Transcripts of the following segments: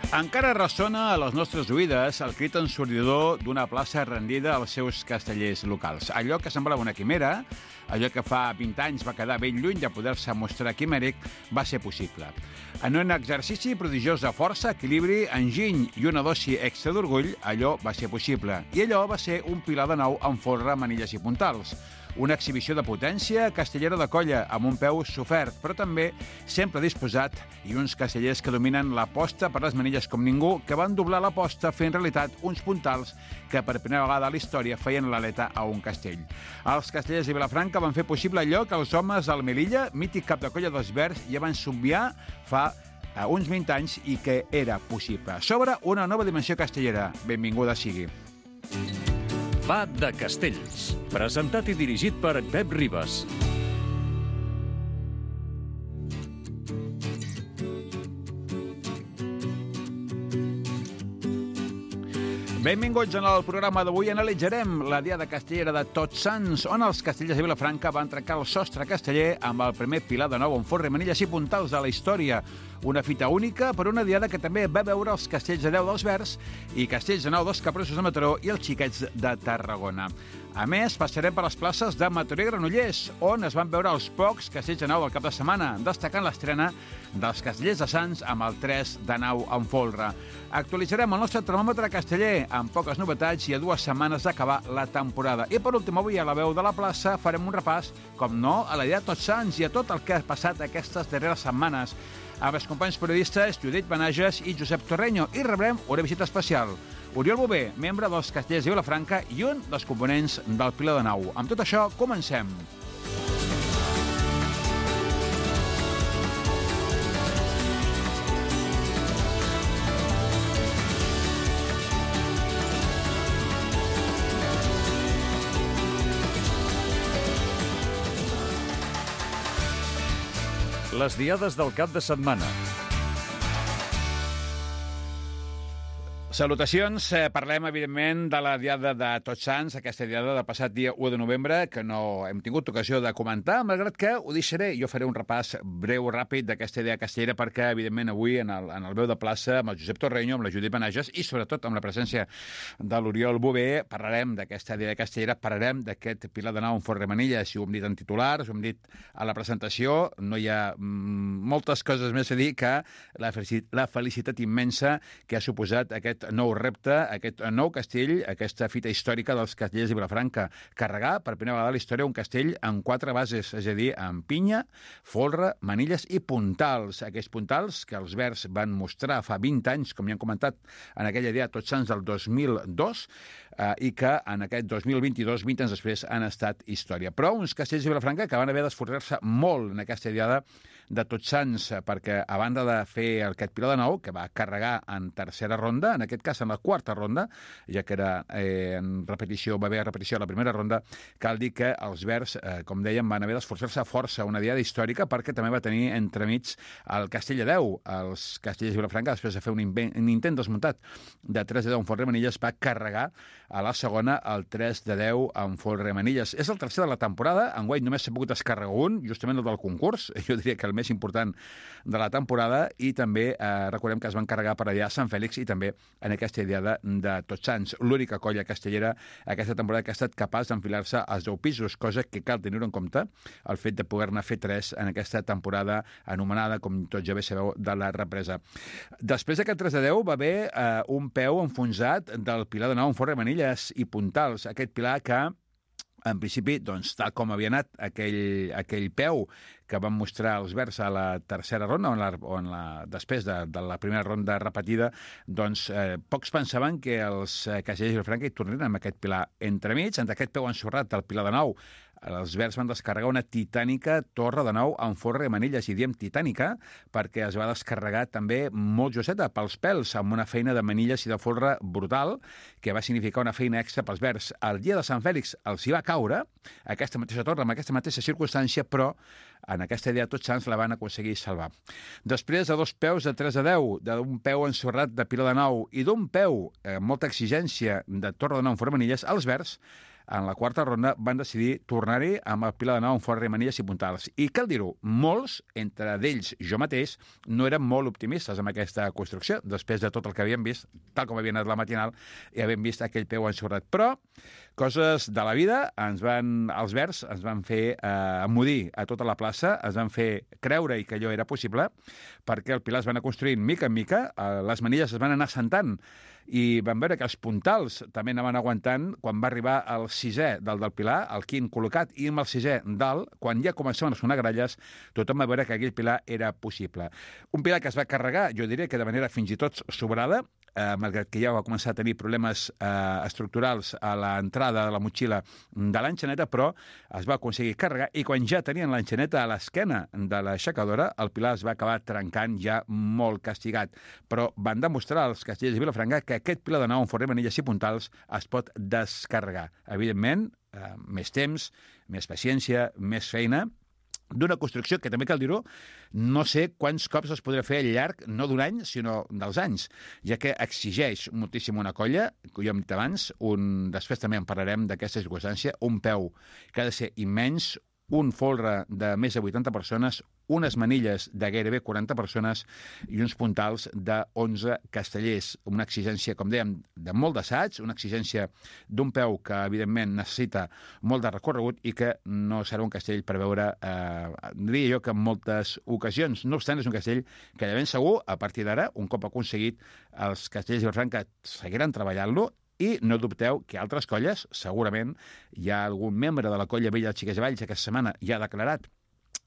Encara ressona a les nostres oïdes el crit ensordidor d'una plaça rendida als seus castellers locals. Allò que semblava una quimera, allò que fa 20 anys va quedar ben lluny de poder-se mostrar quimèric, va ser possible. En un exercici prodigiós de força, equilibri, enginy i una dosi extra d'orgull, allò va ser possible. I allò va ser un pilar de nou amb folre, manilles i puntals. Una exhibició de potència castellera de colla, amb un peu sofert, però també sempre disposat, i uns castellers que dominen l'aposta per les manilles com ningú, que van doblar l'aposta fent realitat uns puntals que per primera vegada a la història feien l'aleta a un castell. Els castellers de Vilafranca van fer possible allò que els homes del Melilla, mític cap de colla dels Verds, ja van somniar fa uns 20 anys i que era possible. S'obre una nova dimensió castellera. Benvinguda sigui. Va de Castells, presentat i dirigit per Pep Ribas. Benvinguts en el programa d'avui. Analitzarem la diada castellera de Tots Sants, on els castellers de Vilafranca van trencar el sostre casteller amb el primer pilar de nou amb folre, manilles i puntals de la història. Una fita única per una diada que també va veure els castells de 10 dels Verds i castells de 9 dels Capressos de Mataró i els Xiquets de Tarragona. A més, passarem per les places de Mataró i Granollers, on es van veure els pocs castells de nau del cap de setmana, destacant l'estrena dels castellers de Sants amb el 3 de nau en folre. Actualitzarem el nostre termòmetre casteller amb poques novetats i a 2 setmanes d'acabar la temporada. I per últim, avui a la veu de la plaça farem un repàs, com no, a la diada de Tots Sants i a tot el que ha passat aquestes darreres setmanes amb els companys periodistes Judit Benages i Josep Torreño, i rebrem una visita especial. Oriol Bové, membre dels castellers de Vilafranca i un dels components del Pilar de Nau. Amb tot això, comencem. Les diades del cap de setmana. Salutacions. Parlem, evidentment, de la diada de Tots Sants, aquesta diada del passat dia 1 de novembre, que no hem tingut ocasió de comentar, malgrat que ho deixaré. Jo faré un repàs breu, ràpid, d'aquesta idea castellera, perquè, evidentment, avui, en el veu de plaça, amb el Josep Torreño, amb la Judit Benages i, sobretot, amb la presència de l'Oriol Bové, parlarem d'aquesta idea castellera, parlarem d'aquest pilar de nau en folre manilles, i ho hem dit en titulars, ho hem dit a la presentació. No hi ha moltes coses més a dir que la felicitat immensa que ha suposat aquest nou repte, aquest nou castell, aquesta fita històrica dels castellers de Vilafranca. Carregar, per primera vegada a la història, un castell amb 4 bases, és a dir, amb pinya, folre, manilles i puntals. Aquests puntals que els Verds van mostrar fa 20 anys, com ja hem comentat, en aquella dia Tots Sants del 2002, i que en aquest 2022, 20 anys després, han estat història. Però uns castells de Vilafranca que van haver d'esforçar-se molt en aquesta diada de Tots Sants, perquè a banda de fer aquest pilar de nou, que va carregar en tercera ronda, en aquest cas en la quarta ronda, ja que era en repetició, va haver repetició a la primera ronda, cal dir que els Verds, com dèiem, van haver d'esforçar-se força una diada històrica, perquè també va tenir entremig el castell de 10. Els castellers de Vilafranca, després de fer un intent desmuntat de 3 de 10 en folre manilles, va carregar a la segona el 3 de 10 en folre manilles. És el tercer de la temporada, enguany només s'ha pogut descarregar un, justament el del concurs, jo diria que el més important de la temporada, i també recordem que es van carregar per allà a Sant Fèlix i també en aquesta diada de Tots Sants. L'única colla castellera aquesta temporada que ha estat capaç d'enfilar-se als 10 pisos, cosa que cal tenir-ho en compte, el fet de poder-ne fer 3 en aquesta temporada anomenada, com tots ja bé sabeu, de la represa. Després d'aquest 3 de 10 va haver un peu enfonsat del pilar de nou en folre manilles i puntals. Aquest pilar que, en principi, doncs, tal com havia anat aquell peu que van mostrar els Verds a la tercera ronda, després de la primera ronda repetida, doncs pocs pensaven que els castellers de Vilafranca hi tornarien amb aquest pilar entremig. En aquest peu ensorrat del pilar de nou, els Verds van descarregar una titànica torre de nou en folre i manilles, i diem titànica perquè es va descarregar també molt josseta pels pèls, amb una feina de manilles i de folre brutal, que va significar una feina extra pels Verds. El dia de Sant Fèlix els hi va caure aquesta mateixa torre, amb aquesta mateixa circumstància, però en aquesta idea Tots Sants la van aconseguir salvar. Després de 2 peus de 3 a 10, d'un peu ensorrat de pilar de nou i d'un peu amb molta exigència de torre de nou en folre manilles, els Verds en la quarta ronda van decidir tornar-hi amb el Pilar de Nau amb Forra, Manilles i Puntals. I cal dir-ho, molts, entre d'ells jo mateix, no eren molt optimistes amb aquesta construcció, després de tot el que havíem vist, tal com havia anat la matinal, i havíem vist aquell peu ensorrat. Però coses de la vida, els verds ens van fer emmudir a tota la plaça, ens van fer creure que allò era possible, perquè el Pilar es va anar construint mica en mica, les manilles es van anar assentant, i vam veure que els puntals també anaven aguantant. Quan va arribar el sisè del Pilar, el quint col·locat, i amb el sisè dalt, quan ja començaven a sonar gralles, tothom va veure que aquell Pilar era possible. Un Pilar que es va carregar, jo diré que de manera fins i tot sobrada, malgrat que ja va començar a tenir problemes estructurals a l'entrada de la motxilla de l'enxaneta, però es va aconseguir carregar, i quan ja tenien l'enxaneta a l'esquena de l'aixecadora, el Pilar es va acabar trencant ja molt castigat. Però van demostrar als castellers de Vilafranca que aquest Pilar de Nau amb Forrer, Manilles i Puntals es pot descarregar. Evidentment, més temps, més paciència, més feina, d'una construcció que, també cal dir-ho, no sé quants cops es podrà fer al llarg, no d'un any, sinó dels anys, ja que exigeix moltíssim una colla, que jo hem dit abans, després també en parlarem d'aquesta circumstància, un peu que ha de ser immens, un folre de més de 80 persones, unes manilles de gairebé 40 persones i uns puntals de 11 castellers. Una exigència, com dèiem, de molt d'assaig, una exigència d'un peu que, evidentment, necessita molt de recorregut i que no serà un castell per veure, diria jo, que en moltes ocasions. No obstant, és un castell que de ben segur, a partir d'ara, un cop aconseguit, els castellers de Vilafranca seguiran treballant-lo. I no dubteu que altres colles, segurament, hi ha algun membre de la colla vella de Xiques de Valls aquesta setmana ja ha declarat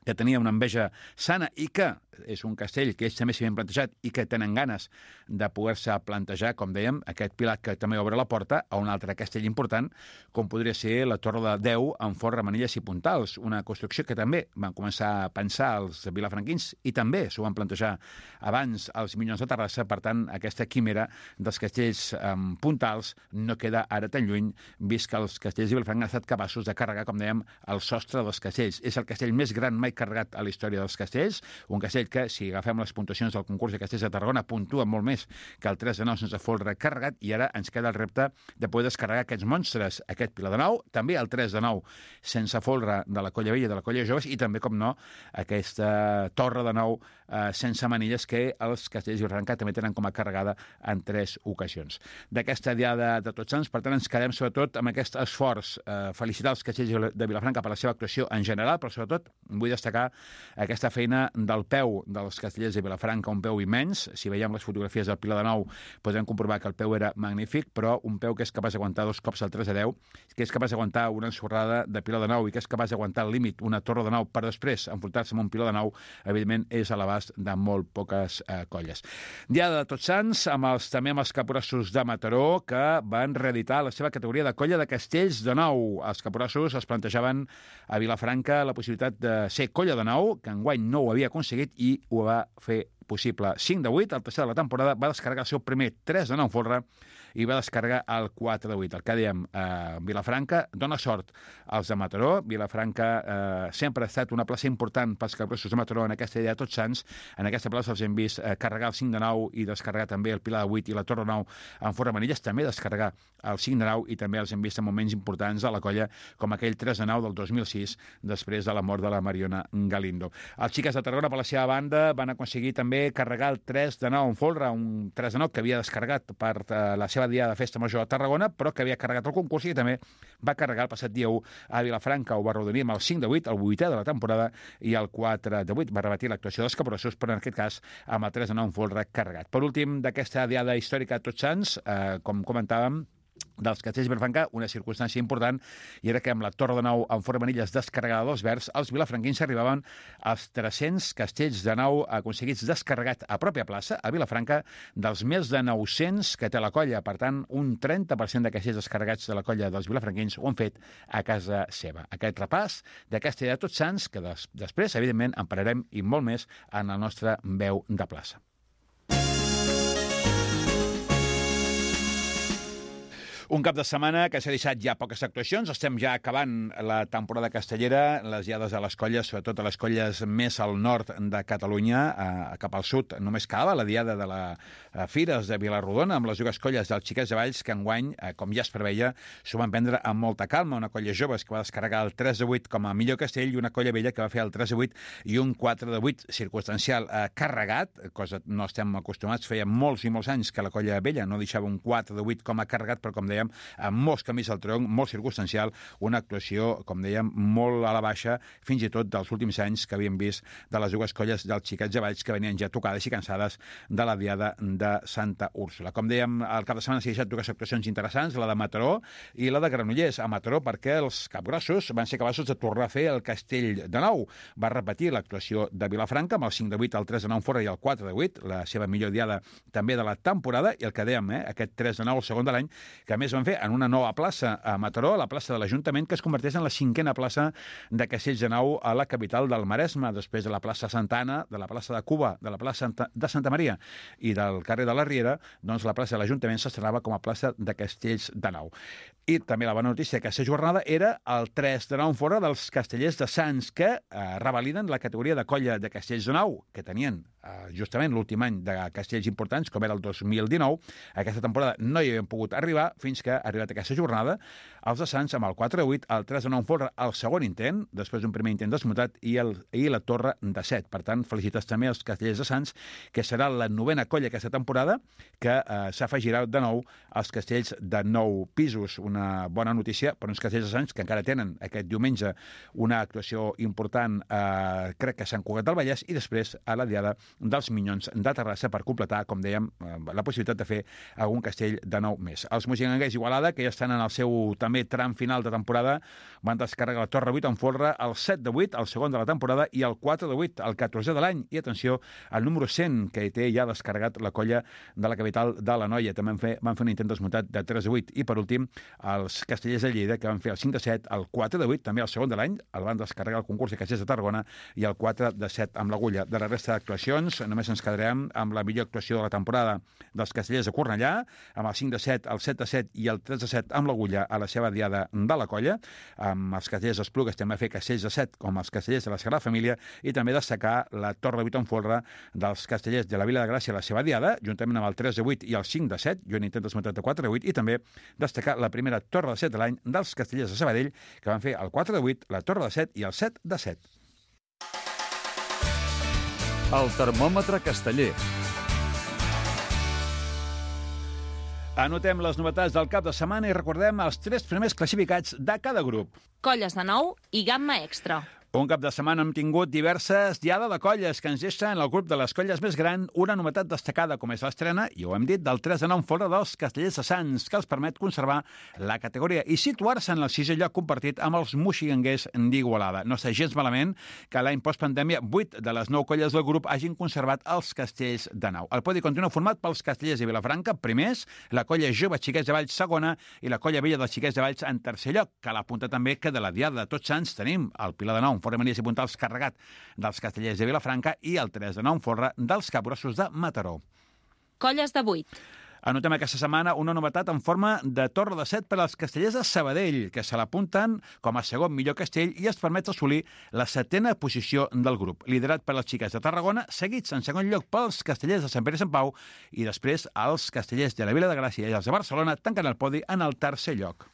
que tenia una enveja sana i que és un castell que ells també s'hi havien plantejat i que tenen ganes de poder-se plantejar, com dèiem, aquest Pilar que també obre la porta a un altre castell important, com podria ser la Torre de Déu amb Forra, Manilles i Puntals, una construcció que també van començar a pensar els vilafranquins i també s'ho van plantejar abans els Minyons de Terrassa. Per tant, aquesta quimera dels castells Puntals no queda ara tan lluny, vist que els castells de Vilafranca han estat capaços de carregar, com dèiem, el sostre dels castells. És el castell més gran mai carregat a la història dels castells, un castell que, si agafem les puntuacions del concurs de castells de Tarragona, puntua molt més que el 3 de 9 sense folre carregat, i ara ens queda el repte de poder descarregar aquests monstres, aquest Pilar de Nau, també el 3 de 9 sense folre de la colla vella i de la colla joves, i també, com no, aquesta Torre de Nou sense manilles que els castells de Vilafranca també tenen com a carregada en 3 ocasions. D'aquesta diada de Tots Sants, per tant, ens quedem sobretot amb aquest esforç. Felicitar els castells de Vilafranca per la seva actuació en general, però sobretot vull destacar aquesta feina del peu dels castellers de Vilafranca, un peu immens. Si veiem les fotografies del Pilar de Nou podrem comprovar que el peu era magnífic, però un peu que és capaç d'aguantar 2 cops el 3 de 10, que és capaç d'aguantar una ensorrada de Pilar de Nou i que és capaç d'aguantar al límit una Torre de Nou per després enfrontar-se amb un Pilar de Nou, evidentment és a l'abast de molt poques colles. Diada de Tots Sants, també amb els caporassos de Mataró, que van reeditar la seva categoria de colla de castells de nou. Els caporassos es plantejaven a Vilafranca la possibilitat de ser colla de nou, que enguany no ho havia aconseguit i ho va fer possible. 5 de 8, el tercer de la temporada, va descarregar el seu primer 3 de 9 folre i va descarregar el 4 de 8. El que dèiem, Vilafranca dona sort als de Mataró. Vilafranca sempre ha estat una plaça important pels caporassos de Mataró en aquesta idea de Tots Sants. En aquesta plaça els hem vist carregar el 5 de 9 i descarregar també el Pilar de 8 i la Torre de 9 en Forra Manilles, també descarregar el 5 de 9 i també els hem vist en moments importants a la colla, com aquell 3 de 9 del 2006, després de la mort de la Mariona Galindo. Els Xiques de Tarragona, per la seva banda, van aconseguir també carregar el 3 de 9 en folre, un 3 de 9 que havia descarregat per la seva dia de festa major a Tarragona, però que havia carregat el concurs i també va carregar el passat dia 1 a Vilafranca. Ho va arrodonir amb el 5 de 8, el 8è de la temporada, i el 4 de 8 va repetir l'actuació dels caporassos, però en aquest cas amb el 3 de 9 en folre carregat. Per últim, d'aquesta diada històrica de Tots Sants, com comentàvem, dels castells de Vilafranca, una circumstància important, i era que amb la Torre de Nou en Forra Manilles descarregada dels verds, els vilafranquins arribaven als 300 castells de nou aconseguits descarregat a pròpia plaça, a Vilafranca, dels més de 900 que té la colla. Per tant, un 30% de castells descarregats de la colla dels vilafranquins ho han fet a casa seva. Aquest repàs d'aquesta idea de Tots Sants, que després, evidentment, en parlarem i molt més en el nostre Veu de Plaça. Un cap de setmana que s'ha deixat ja poques actuacions. Estem ja acabant la temporada castellera, les diades a les colles, sobretot a les colles més al nord de Catalunya, cap al sud. Només quedava la diada de la Fires de Vilarrodona amb les dues colles dels Xiquets de Valls, que enguany, com ja es preveia, s'ho van prendre amb molta calma. Una colla joves que va descarregar el 3-8 com a millor castell i una colla vella que va fer el 3-8 i un 4-8 circumstancial carregat, cosa no estem acostumats. Feia molts i molts anys que la colla vella no deixava un 4-8 com a carregat, però com dèiem, amb molts camins al tronc, molt circumstancial, una actuació, com dèiem, molt a la baixa, fins i tot dels últims anys que havíem vist de les dues colles dels Xiquets de Valls que venien ja tocades i cansades de la diada de Santa Úrsula. Com dèiem, al cap de setmana s'hi ha deixat dues actuacions interessants, la de Mataró i la de Granollers. A Mataró perquè els capgrossos van ser capaços de tornar a fer el castell de nou. Va repetir l'actuació de Vilafranca amb el 5-8, el 3-9 en fora i el 4-8, la seva millor diada també de la temporada, i el que dèiem, aquest 3-9, el segon de l'any, que a més van fer en una nova plaça a Mataró, la plaça de l'Ajuntament, que es converteix en la 5a plaça de castells de nou a la capital del Maresme, després de la plaça Santa Anna, de la plaça de Cuba, de la plaça de Santa Maria i del carrer de la Riera, doncs la plaça de l'Ajuntament s'estrenava com a plaça de castells de nou. I també la bona notícia d'aquesta jornada era el 3-9 en fora dels castellers de Sants, que revaliden la categoria de colla de castells de nou, que tenien justament l'últim any de castells importants, com era el 2019. Aquesta temporada no hi havien pogut arribar fins que ha arribat aquesta jornada. Els de Sants amb el 4-8, el 3-9 en fora el segon intent, després d'un primer intent desmutat, i la torre de 7. Per tant, felicitats també als castellers de Sants, que serà la 9a colla aquesta temporada, que s'afegirà de nou als castells de 9 pisos. Una bona notícia per uns castells de Sants que encara tenen aquest diumenge una actuació important, crec que a Sant Cugat del Vallès, i després a la diada dels Minyons de Terrassa per completar, com dèiem, la possibilitat de fer algun castell de nou més. Els moixiganders Igualada, que ja estan en el seu també tram final de temporada, van descarregar la torre 8 en folre, el 7-8, el segon de la temporada, i el 4-8, el 14è de l'any. I atenció, el número 100, que té ja descarregat la colla de la capital de l'Anoia. També van fer un intent desmutat de 3-8. I per últim, els castellers de Lleida, que van fer el 5-7, el 4-8, també el segon de l'any, el van descarregar el concurs de castellers de Tarragona, i el 4-7 amb l'agulla. De la resta d'actuacions, només ens quedarem amb la millor actuació de la temporada dels castellers de Cornellà, amb el 5-7, el 7-7 i el 3-7 amb l'agulla a la seva diada de la colla. Amb els castellers d'Esplugues també va fer castells de 7 com els castellers de la Sagrada Família, i també destacar la torre 8 en folre dels castellers de la Vila de Gràcia a la seva diada, juntament amb el 3-8 i el 5-7, i un intent desmutat de 4-8, i també destacar la primera torre de 7 de l'any dels castellers de Sabadell, que van fer el 4-8, la torre de 7 i el 7-7. El termòmetre casteller. Anotem les novetats del cap de setmana i recordem els 3 primers classificats de cada grup. Colles de nou i gamma extra. Un cap de setmana hem tingut diverses diada de colles que ens deixen en el grup de les colles més gran una novetat destacada, com és l'estrena, i ho hem dit, del 3-9 en folre dels castellers de Sants, que els permet conservar la categoria i situar-se en el 6è lloc compartit amb els moixiganders d'Igualada. No està gens malament que l'any postpandèmia 8 de les 9 colles del grup hagin conservat els castells de nou. El podi continua format pels castellers de Vilafranca, primers, la colla jove Xiquets de Valls, segona, i la colla vella dels Xiquets de Valls en tercer lloc. Cal apuntar també que de la diada de Tots Sants tenim el Pilar de Nou fora Manies i Puntals carregat dels castellers de Vilafranca i el 3-9 en folre dels capgrossos de Mataró. Colles de 8. Anotem aquesta setmana una novetat en forma de torre de 7 per als castellers de Sabadell, que se l'apunten com a segon millor castell i es permet assolir la 7a posició del grup, liderat per les Xiquets de Tarragona, seguits en segon lloc pels castellers de Sant Pere i Sant Pau, i després els castellers de la Vila de Gràcia i els de Barcelona tanquen el podi en el tercer lloc.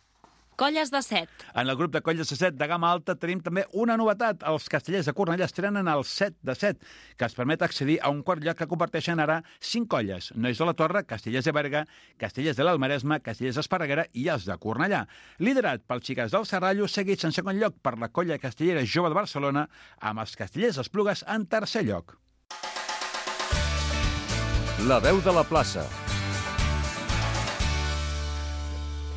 Colles de 7. En el grup de colles de 7 de gamma alta tenim també una novetat. Els castellers de Cornellà estrenen el 7-7, que es permet accedir a un quart lloc que comparteixen ara 5 colles. Nois de la Torre, castellers de Berga, castellers de l'Almaresme, castellers d'Esparreguera i els de Cornellà. Liderat pels Xiquets del Serrallo, seguits en segon lloc per la colla castellera jove de Barcelona, amb els castellers d'Esplugues en tercer lloc. La veu de la plaça.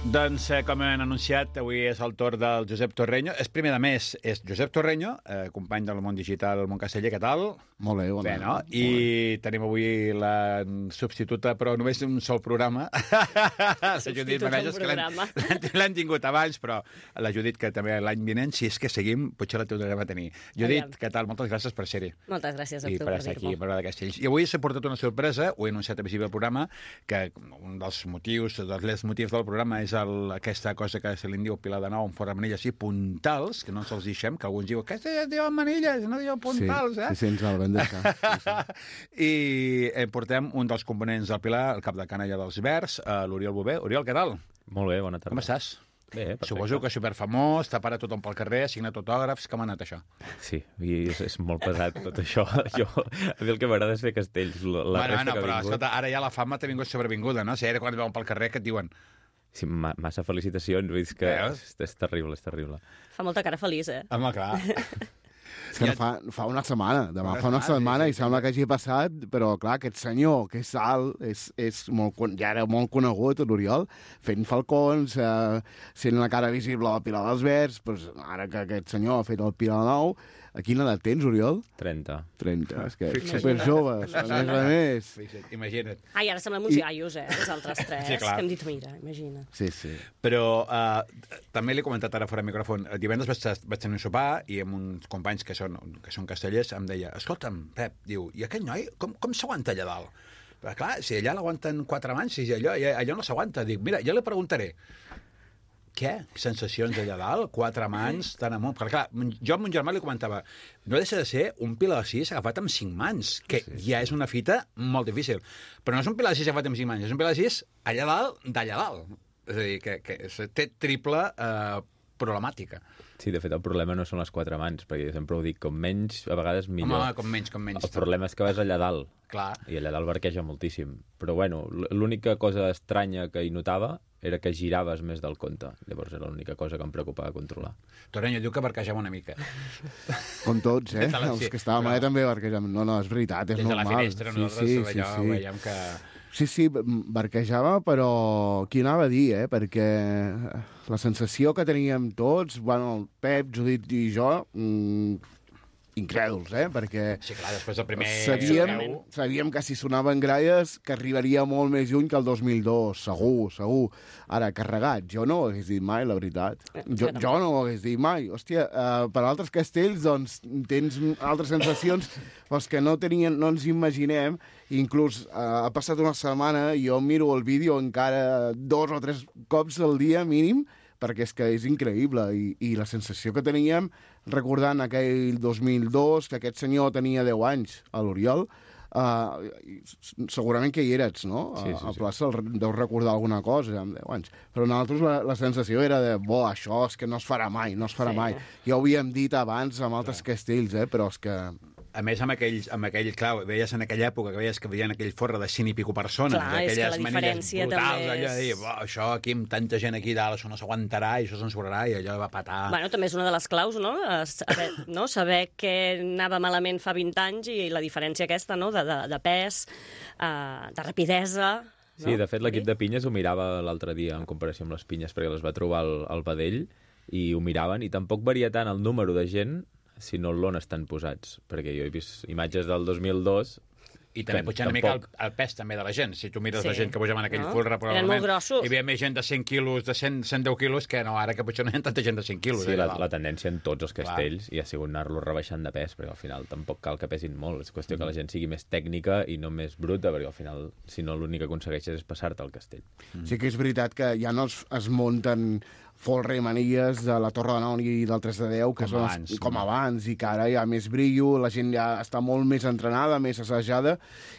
Doncs, com hem anunciat, avui és el torn del Josep Torreño. És primer de mes, és Josep Torreño, company del món digital Món Casteller. Què tal? Molt bé, bona. Bé, no? I tenim avui la substituta, però només un sol programa. La Judit Manejas, que l'hem tingut abans, però la Judit, que també l'any vinent, si és que seguim, potser la tornarem a tenir. Judit, què tal? Moltes gràcies per ser-hi. Moltes gràcies a tu per per estar aquí, dir-m'ho. per veure de Castells. I avui s'ha portat una sorpresa, ho he anunciat a principi del programa, que un dels motius, dels motius del programa és és aquesta cosa que se li diu Pilar de Nou en forma de manilles, així, puntals, que no ens els deixem, que alguns diuen que diuen manilles, no diuen puntals, Sí, ens el vam deixar. I portem un dels components del Pilar, el cap de canalla dels Verds, l'Oriol Bové. Oriol, què tal? Molt bé, bona tarda. Com estàs? Bé, perfecte. Suposo que és superfamós, t'ha parat tothom pel carrer, ha signat autògrafs, com ha anat això? Sí, i és molt pesat tot això. A mi el que m'agrada és fer castells. La resta que ha però vingut... escolta, ara ja la fama t'ha vingut sobrevinguda, no? Si ara quan et veuen pel carrer, què et diuen? Sí, massa felicitacions, vull dir que és terrible, és terrible. Fa molta cara feliç, eh? Home, clar. És que fa una setmana, demà fa una setmana i sembla que hagi passat, però clar, aquest senyor que és alt, ja era molt conegut, l'Oriol, fent falcons, sent la cara visible del Pilar dels Verds, doncs ara que aquest senyor ha fet el Pilar Nou, a quina edat tens, Oriol? 30. 30, és que superjoves, a més. Imagina't. Ai, ara semblem uns iaios, els altres tres, Sí, clar. que hem dit, mira, imagina. Sí. Però també l'he comentat ara fora de micròfon. Divendres vaig tenir un sopar i amb uns companys que són castellers em deia, escolta'm, Pep, diu, i aquest noi com s'aguanta allà dalt? Però, clar, si allà l'aguanten 4 mans, si allò no s'aguanta. Dic, mira, jo li preguntaré, què? Sensacions allà dalt? 4 mans, tan amunt? Perquè, clar, jo amb mon germà li comentava, no deixa de ser un Pilar de 6 agafat amb 5 mans, que ja és una fita molt difícil. Però no és un Pilar de 6 agafat amb 5 mans, és un Pilar de 6 allà dalt, d'allà dalt. És a dir, que té triple problemàtica. Sí, de fet, el problema no són les 4 mans, perquè jo sempre ho dic, com menys, a vegades millor. Home, com menys. El problema és que vas allà dalt. Clar. I allà dalt barqueja moltíssim. Però, bueno, l'única cosa estranya que hi notava era que giraves més del compte. Llavors era l'única cosa que em preocupava controlar. Toreño diu que barquejava una mica. Com tots, Sí, els que estàvem allà també barquejàvem. No, és veritat, és Des de normal. la finestra, nosaltres allò veiem que... Sí, barquejava, però qui anava a dir, perquè la sensació que teníem tots, bueno, el Pep, Judit i jo, incrèduls, perquè Sí, clar, després del primer... sabíem que si sonaven gralles que arribaria molt més lluny que el 2002, segur. Ara, carregat, jo no ho hagués dit mai, la veritat. Jo no ho hagués dit mai. Hòstia, per altres castells, doncs, tens altres sensacions que no ens imaginem. Inclús ha passat una setmana i jo miro el vídeo encara 2 o 3 cops al dia mínim, perquè és que és increïble. I la sensació que teníem, recordant aquell 2002, que aquest senyor tenia 10 anys, a l'Oriol, segurament que hi eres, no? Sí. A plaça deus recordar alguna cosa amb 10 anys. Però nosaltres la sensació era de, això és que no es farà mai. Ja ho havíem dit abans amb altres castells, però és que... A més, amb aquell, clar, veies en aquella època que veies que veien aquell forra de 100 i pico persones, clar, aquelles manilles brutals, allò de dir, això aquí amb tanta gent aquí dalt, això no s'aguantarà i això s'ensorrarà i allò va patar. Bueno, també és una de les claus, no? Saber què anava malament fa 20 anys i la diferència aquesta, no? De pes, de rapidesa... No? Sí, de fet, l'equip de pinyes ho mirava l'altre dia en comparació amb les pinyes, perquè les va trobar al vedell i ho miraven, i tampoc varia tant el número de gent sinó l'on estan posats, perquè jo he vist imatges del 2002... I també pujar una mica el pes també de la gent. Si tu mires la gent que pujava en aquell folre, eren molt grossos. Hi havia més gent de 100 quilos, de 110 quilos, que no, ara que potser no hi ha tanta gent de 100 quilos. Sí, la tendència en tots els castells i ha sigut anar-los rebaixant de pes, perquè al final tampoc cal que pesin molt. És qüestió que la gent sigui més tècnica i no més bruta, perquè al final, si no, l'únic que aconsegueixes és passar-te al castell. Sí que és veritat que ja no es munten folre i manilles de la Torre de Nou i del 3 de 10, que són com abans, i que ara hi ha més brillo, la gent ja està molt més entrenada, més assajada,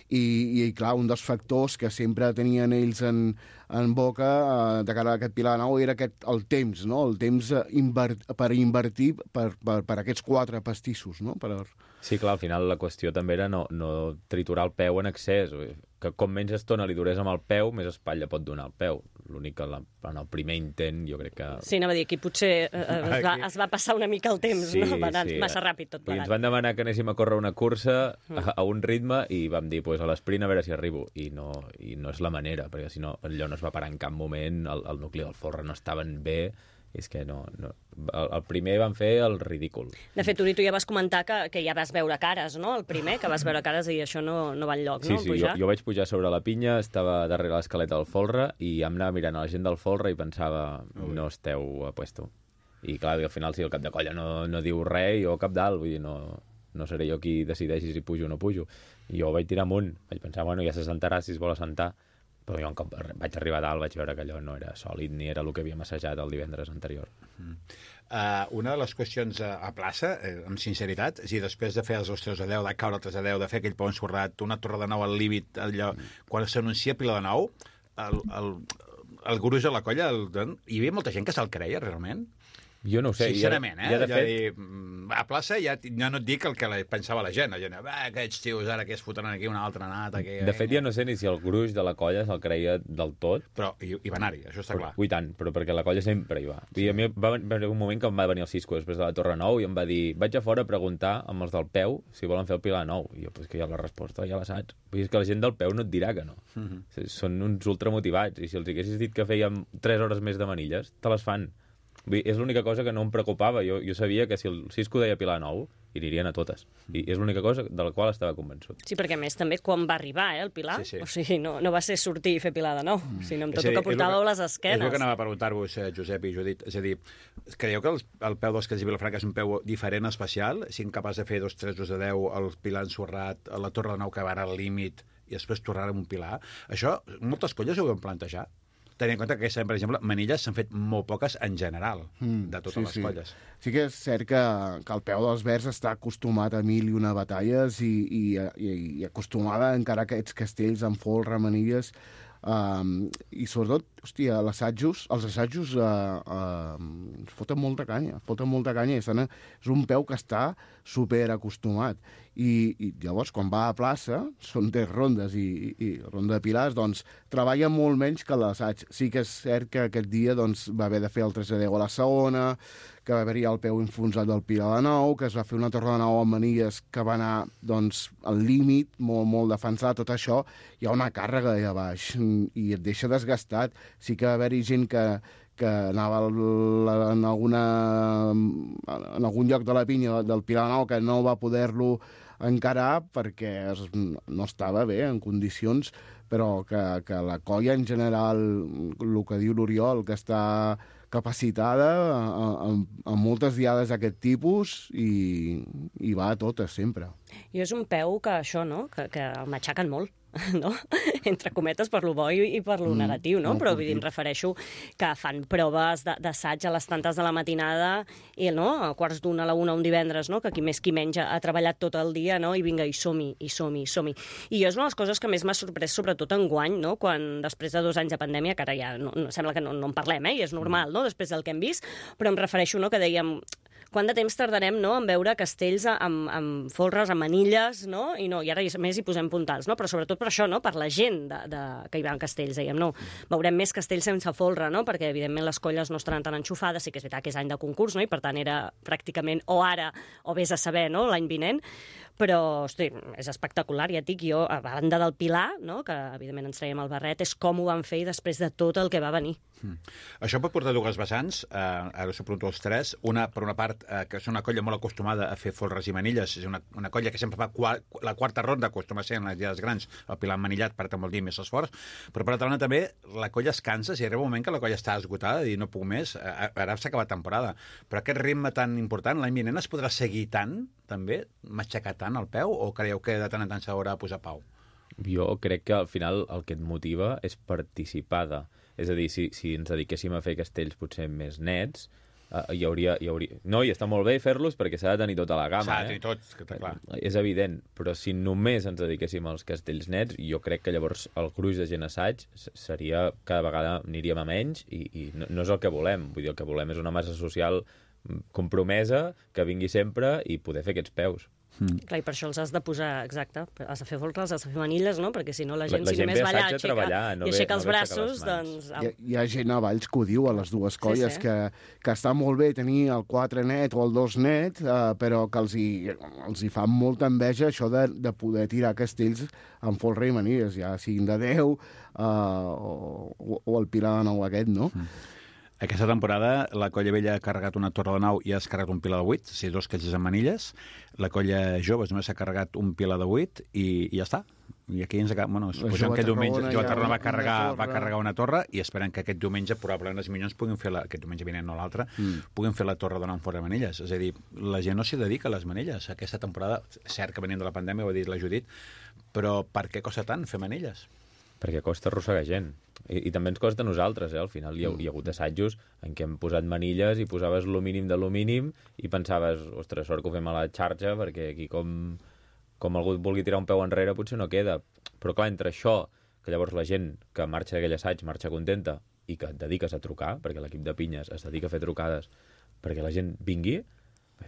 i clar, un dels factors que sempre tenien ells en boca de cara a aquest Pilar de Nou era el temps, no? El temps per invertir per aquests 4 pastissos, no? Sí, clar, al final la qüestió també era no triturar el peu en excés, que com menys estona li durés amb el peu, més espatlla pot donar el peu. L'únic que en el primer intent jo crec que... Sí, anava a dir, aquí potser es va passar una mica el temps, no? Va anar massa ràpid tot plegat. Ens van demanar que anéssim a córrer una cursa a un ritme i vam dir, a l'esprint a veure si arribo. I no és la manera, perquè si no, allò no es va parar en cap moment, el nucli del folre no estaven bé, és que no. El primer van fer el ridícul. De fet, Uri, tu ja vas comentar que ja vas veure cares, no? El primer, que vas veure cares i això no va enlloc, no? Sí, jo vaig pujar sobre la pinya, estava darrere l'escaleta del folre i em anava mirant a la gent del folre i pensava, no esteu a puesto. I clar, al final, si el cap de colla no diu res, jo cap dalt, vull dir, no seré jo qui decideixi si pujo o no pujo. I jo vaig tirar amunt, vaig pensar, ja s'assentarà si es vol assentar, Però jo, com vaig arribar a dalt, vaig veure que allò no era sòlid ni era el que havíem assajat el divendres anterior. Una de les qüestions a plaça, amb sinceritat, és a dir, després de fer els 3-10, de caure el 3-10, de fer aquell pont ensorrat, una torre de nou al límit, allò, quan s'anuncia Pilar de Nou, el gruix de la colla, hi havia molta gent que se'l creia, realment? Jo no ho sé. Sincerament, ja de fet... a plaça ja no et dic el que pensava la gent. La gent, aquests tios ara que es fotran aquí una altra nata... Que... De fet, ja no sé ni si el gruix de la colla se'l creia del tot. Però hi va anar-hi, això està clar. I tant, però perquè la colla sempre hi va. I a mi va haver un moment que em va venir el Cisco després de la Torre Nou i em va dir, vaig a fora a preguntar amb els del peu si volen fer el Pilar Nou. I jo, pues que ja la resposta ja la saps. Vull dir, és que la gent del peu no et dirà que no. Són uns ultramotivats. I si els haguessis dit que fèiem 3 hores més de manilles, te les fan. Vull dir, és l'única cosa que no em preocupava. Jo sabia que si el Cisco deia Pilar Nou, hi anirien a totes. I és l'única cosa de la qual estava convençut. Sí, perquè a més també quan va arribar el Pilar, sí. O sigui, no va ser sortir i fer Pilar de nou, sinó amb tot el que portàveu les esquenes. És el que anava a preguntar-vos, Josep i Judit. És a dir, creieu que el peu dels Castells i Vilafranca és un peu diferent, especial? Si capaç de fer 2-3-2-10, el Pilar ensorrat, la Torre de Nou que va al límit i després tornar amb un Pilar? Això, moltes colles ho vam plantejar. Tenint en compte que, per exemple, manilles s'han fet molt poques en general, de totes les colles. Sí que és cert que el peu dels Verds està acostumat a 1000 i una batalles i acostumada a encarar aquests castells amb folre, manilles, i sobretot, hòstia, els assajos foten molta canya, és un peu que està super acostumat. I llavors, quan va a plaça, són 10 rondes i ronda de pilars, doncs treballa molt menys que l'assaig. Sí que és cert que aquest dia doncs, va haver de fer el 3-10 a la segona, que va haver-hi el peu enfonsat del Pilar de Nou, que es va fer una torre de nou amb manilles que va anar doncs, al límit, molt, molt defensat, tot això. Hi ha una càrrega allà baix i et deixa desgastat. Sí que va haver-hi gent que anava en algun lloc de la pinya del Pilar de Nou que no va poder-lo encarar perquè no estava bé en condicions, però que la colla en general, el que diu l'Oriol, que està capacitada amb moltes diades d'aquest tipus i va a totes sempre. I és un peu que això, no?, que el matxaquen molt. No? Entre cometes, per lo bo i per lo negatiu, no? Però vull dir, em refereixo que fan proves d'assaig a les tantes de la matinada i no? A quarts d'una, a la una, un divendres, no? Que qui més qui menys ha treballat tot el dia, no? I vinga, i som-hi. I és una de les coses que més m'ha sorprès, sobretot enguany, no? Quan després de 2 anys de pandèmia, que ara ja sembla que no en parlem, i és normal, no? Després del que hem vist, però em refereixo, no?, que dèiem quant de temps tardarem, no?, en veure castells amb folres, amb manilles, no? I ara més hi posem puntals, no? Però sobretot per això, no?, per la gent que hi va en castells, dèiem, no? Veurem més castells sense folre, no?, perquè evidentment les colles no estaran tan enxufades, sí que és veritat que és any de concurs, no?, i per tant era pràcticament o ara o vés a saber, no?, l'any vinent, però, hosti, és espectacular, ja et dic, jo, a banda del Pilar, no?, que evidentment ens traiem el barret, és com ho van fer i després de tot el que va venir. Això pot portar 2 vessants, ara us ho pregunto els 3, una, per una part, que és una colla molt acostumada a fer folres i manilles, és una colla que sempre fa la quarta ronda, acostuma a ser en les dies grans, el Pilar manillat, per tant vol dir més esforç, però per altra banda també la colla es cansa, si arriba un moment que la colla està esgotada i no puc més, ara s'ha acabat temporada, però aquest ritme tan important, l'any vinent es podrà seguir tant, també, matxacar tant el peu, o creieu que de tant en tant s'haurà de posar pau? Jo crec que al final el que et motiva és participar de... És a dir, si ens dediquéssim a fer castells potser més nets, hi hauria... No, i està molt bé fer-los perquè s'ha de tenir tota la gamma. S'ha de tenir tots, que està clar. És evident, però si només ens dediquéssim als castells nets, jo crec que llavors el gruix de gent assaig seria... Cada vegada aniríem a menys i no és el que volem. Vull dir, el que volem és una massa social compromesa, que vingui sempre i poder fer aquests peus. Clar, i per això els has de posar, exacte, has de fer folres, has de fer manilles, no? Perquè si no la gent si només va allà i aixeca els braços, doncs... Hi ha gent a Valls que ho diu a les dues colles, sí. Que està molt bé tenir el 4 net o el 2 net, però que els hi fa molta enveja això de poder tirar castells amb folre i manilles, ja siguin de 10 o el Pilar de Nou aquest, no? Aquesta temporada la colla vella ha carregat una torre de 9 i ha carregat un Pilar de 8, o sigui, 2 castells amb manilles. La colla joves només s'ha carregat un Pilar de 8 i ja està. I aquí ens acaba... Bueno, suposem que diumenge Jove Tarragona va carregar una torre i esperem que aquest diumenge probablement els Minyons puguin fer aquest diumenge vinent no l'altre, puguin fer la torre de 9 fora de manilles. És a dir, la gent no s'hi dedica a les manilles. Aquesta temporada, cert que venint de la pandèmia, ho ha dit la Judit, però per què costa tant fer manilles? perquè costa arrossegar gent. I també ens costa a nosaltres, al final hi ha hagut assajos en què hem posat manilles i posaves lo mínim de lo mínim i pensaves, ostres, sort que ho fem a la xarxa, perquè aquí com algú vulgui tirar un peu enrere potser no queda. Però clar, entre això, que llavors la gent que marxa d'aquell assaig marxa contenta i que et dediques a trucar, perquè l'equip de pinyes es dedica a fer trucades perquè la gent vingui,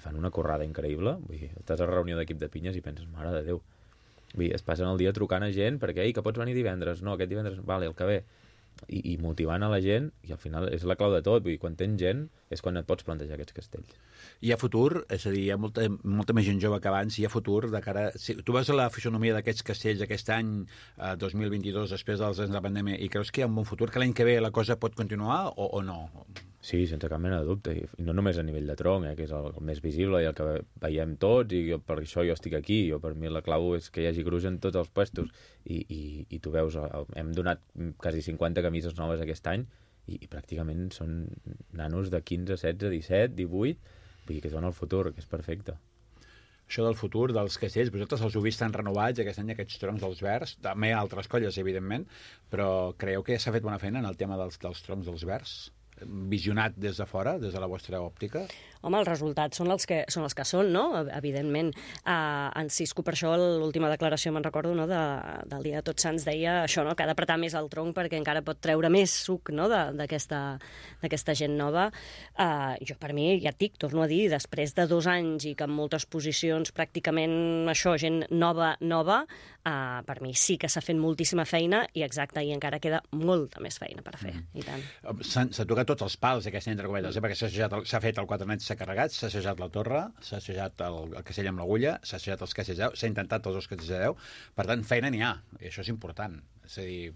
fan una corrada increïble. Vull dir, estàs a reunió d'equip de pinyes i penses, mare de Déu. Vull dir, es passen el dia trucant a gent perquè, que pots venir divendres? No, aquest divendres, vale, el que ve. I motivant a la gent, i al final és la clau de tot. Vull dir, quan tens gent és quan et pots plantejar aquests castells. Hi ha futur? És a dir, hi ha molta més gent jove que abans, hi ha futur de cara... Si tu vas a la fisonomia d'aquests castells aquest any, 2022, després dels anys de la pandèmia, i creus que hi ha un bon futur, que l'any que ve la cosa pot continuar o no? Sí, sense cap mena de dubte. I no només a nivell de tronc, que és el més visible i el que veiem tots, i per això jo estic aquí. Per mi la clau és que hi hagi gruix en tots els puestos. I tu veus, hem donat quasi 50 camises noves aquest any i pràcticament són nanos de 15, 16, 17, 18, vull dir que són el futur, que és perfecte. Això del futur, dels castells, vosaltres els heu vist tan renovats aquest any, aquests troncs dels verds, també altres colles, evidentment, però creieu que s'ha fet bona feina en el tema dels troncs dels verds? Visionat des de fora, des de la vostra òptica? Home, els resultats són els que són, no? Evidentment. En Cisco, per això, l'última declaració, me'n recordo, no? Del dia de Tots Sants, deia això, no? Que ha d'apretar més el tronc perquè encara pot treure més suc, no? D'aquesta gent nova. Jo, per mi, ja et dic, torno a dir, després de 2 anys i que en moltes posicions pràcticament això, gent nova, per mi sí que s'ha fet moltíssima feina i exacte, i encara queda molta més feina per fer, i tant. S'ha tocat tots els pals, aquesta entre cometes, perquè s'ha fet el 4 nets, s'ha carregat, s'ha assajat la torre, s'ha assajat el castell amb l'agulla, s'ha assajat els castells de 10, s'ha intentat els 2 castells de 10, per tant, feina n'hi ha, i això és important. És a dir...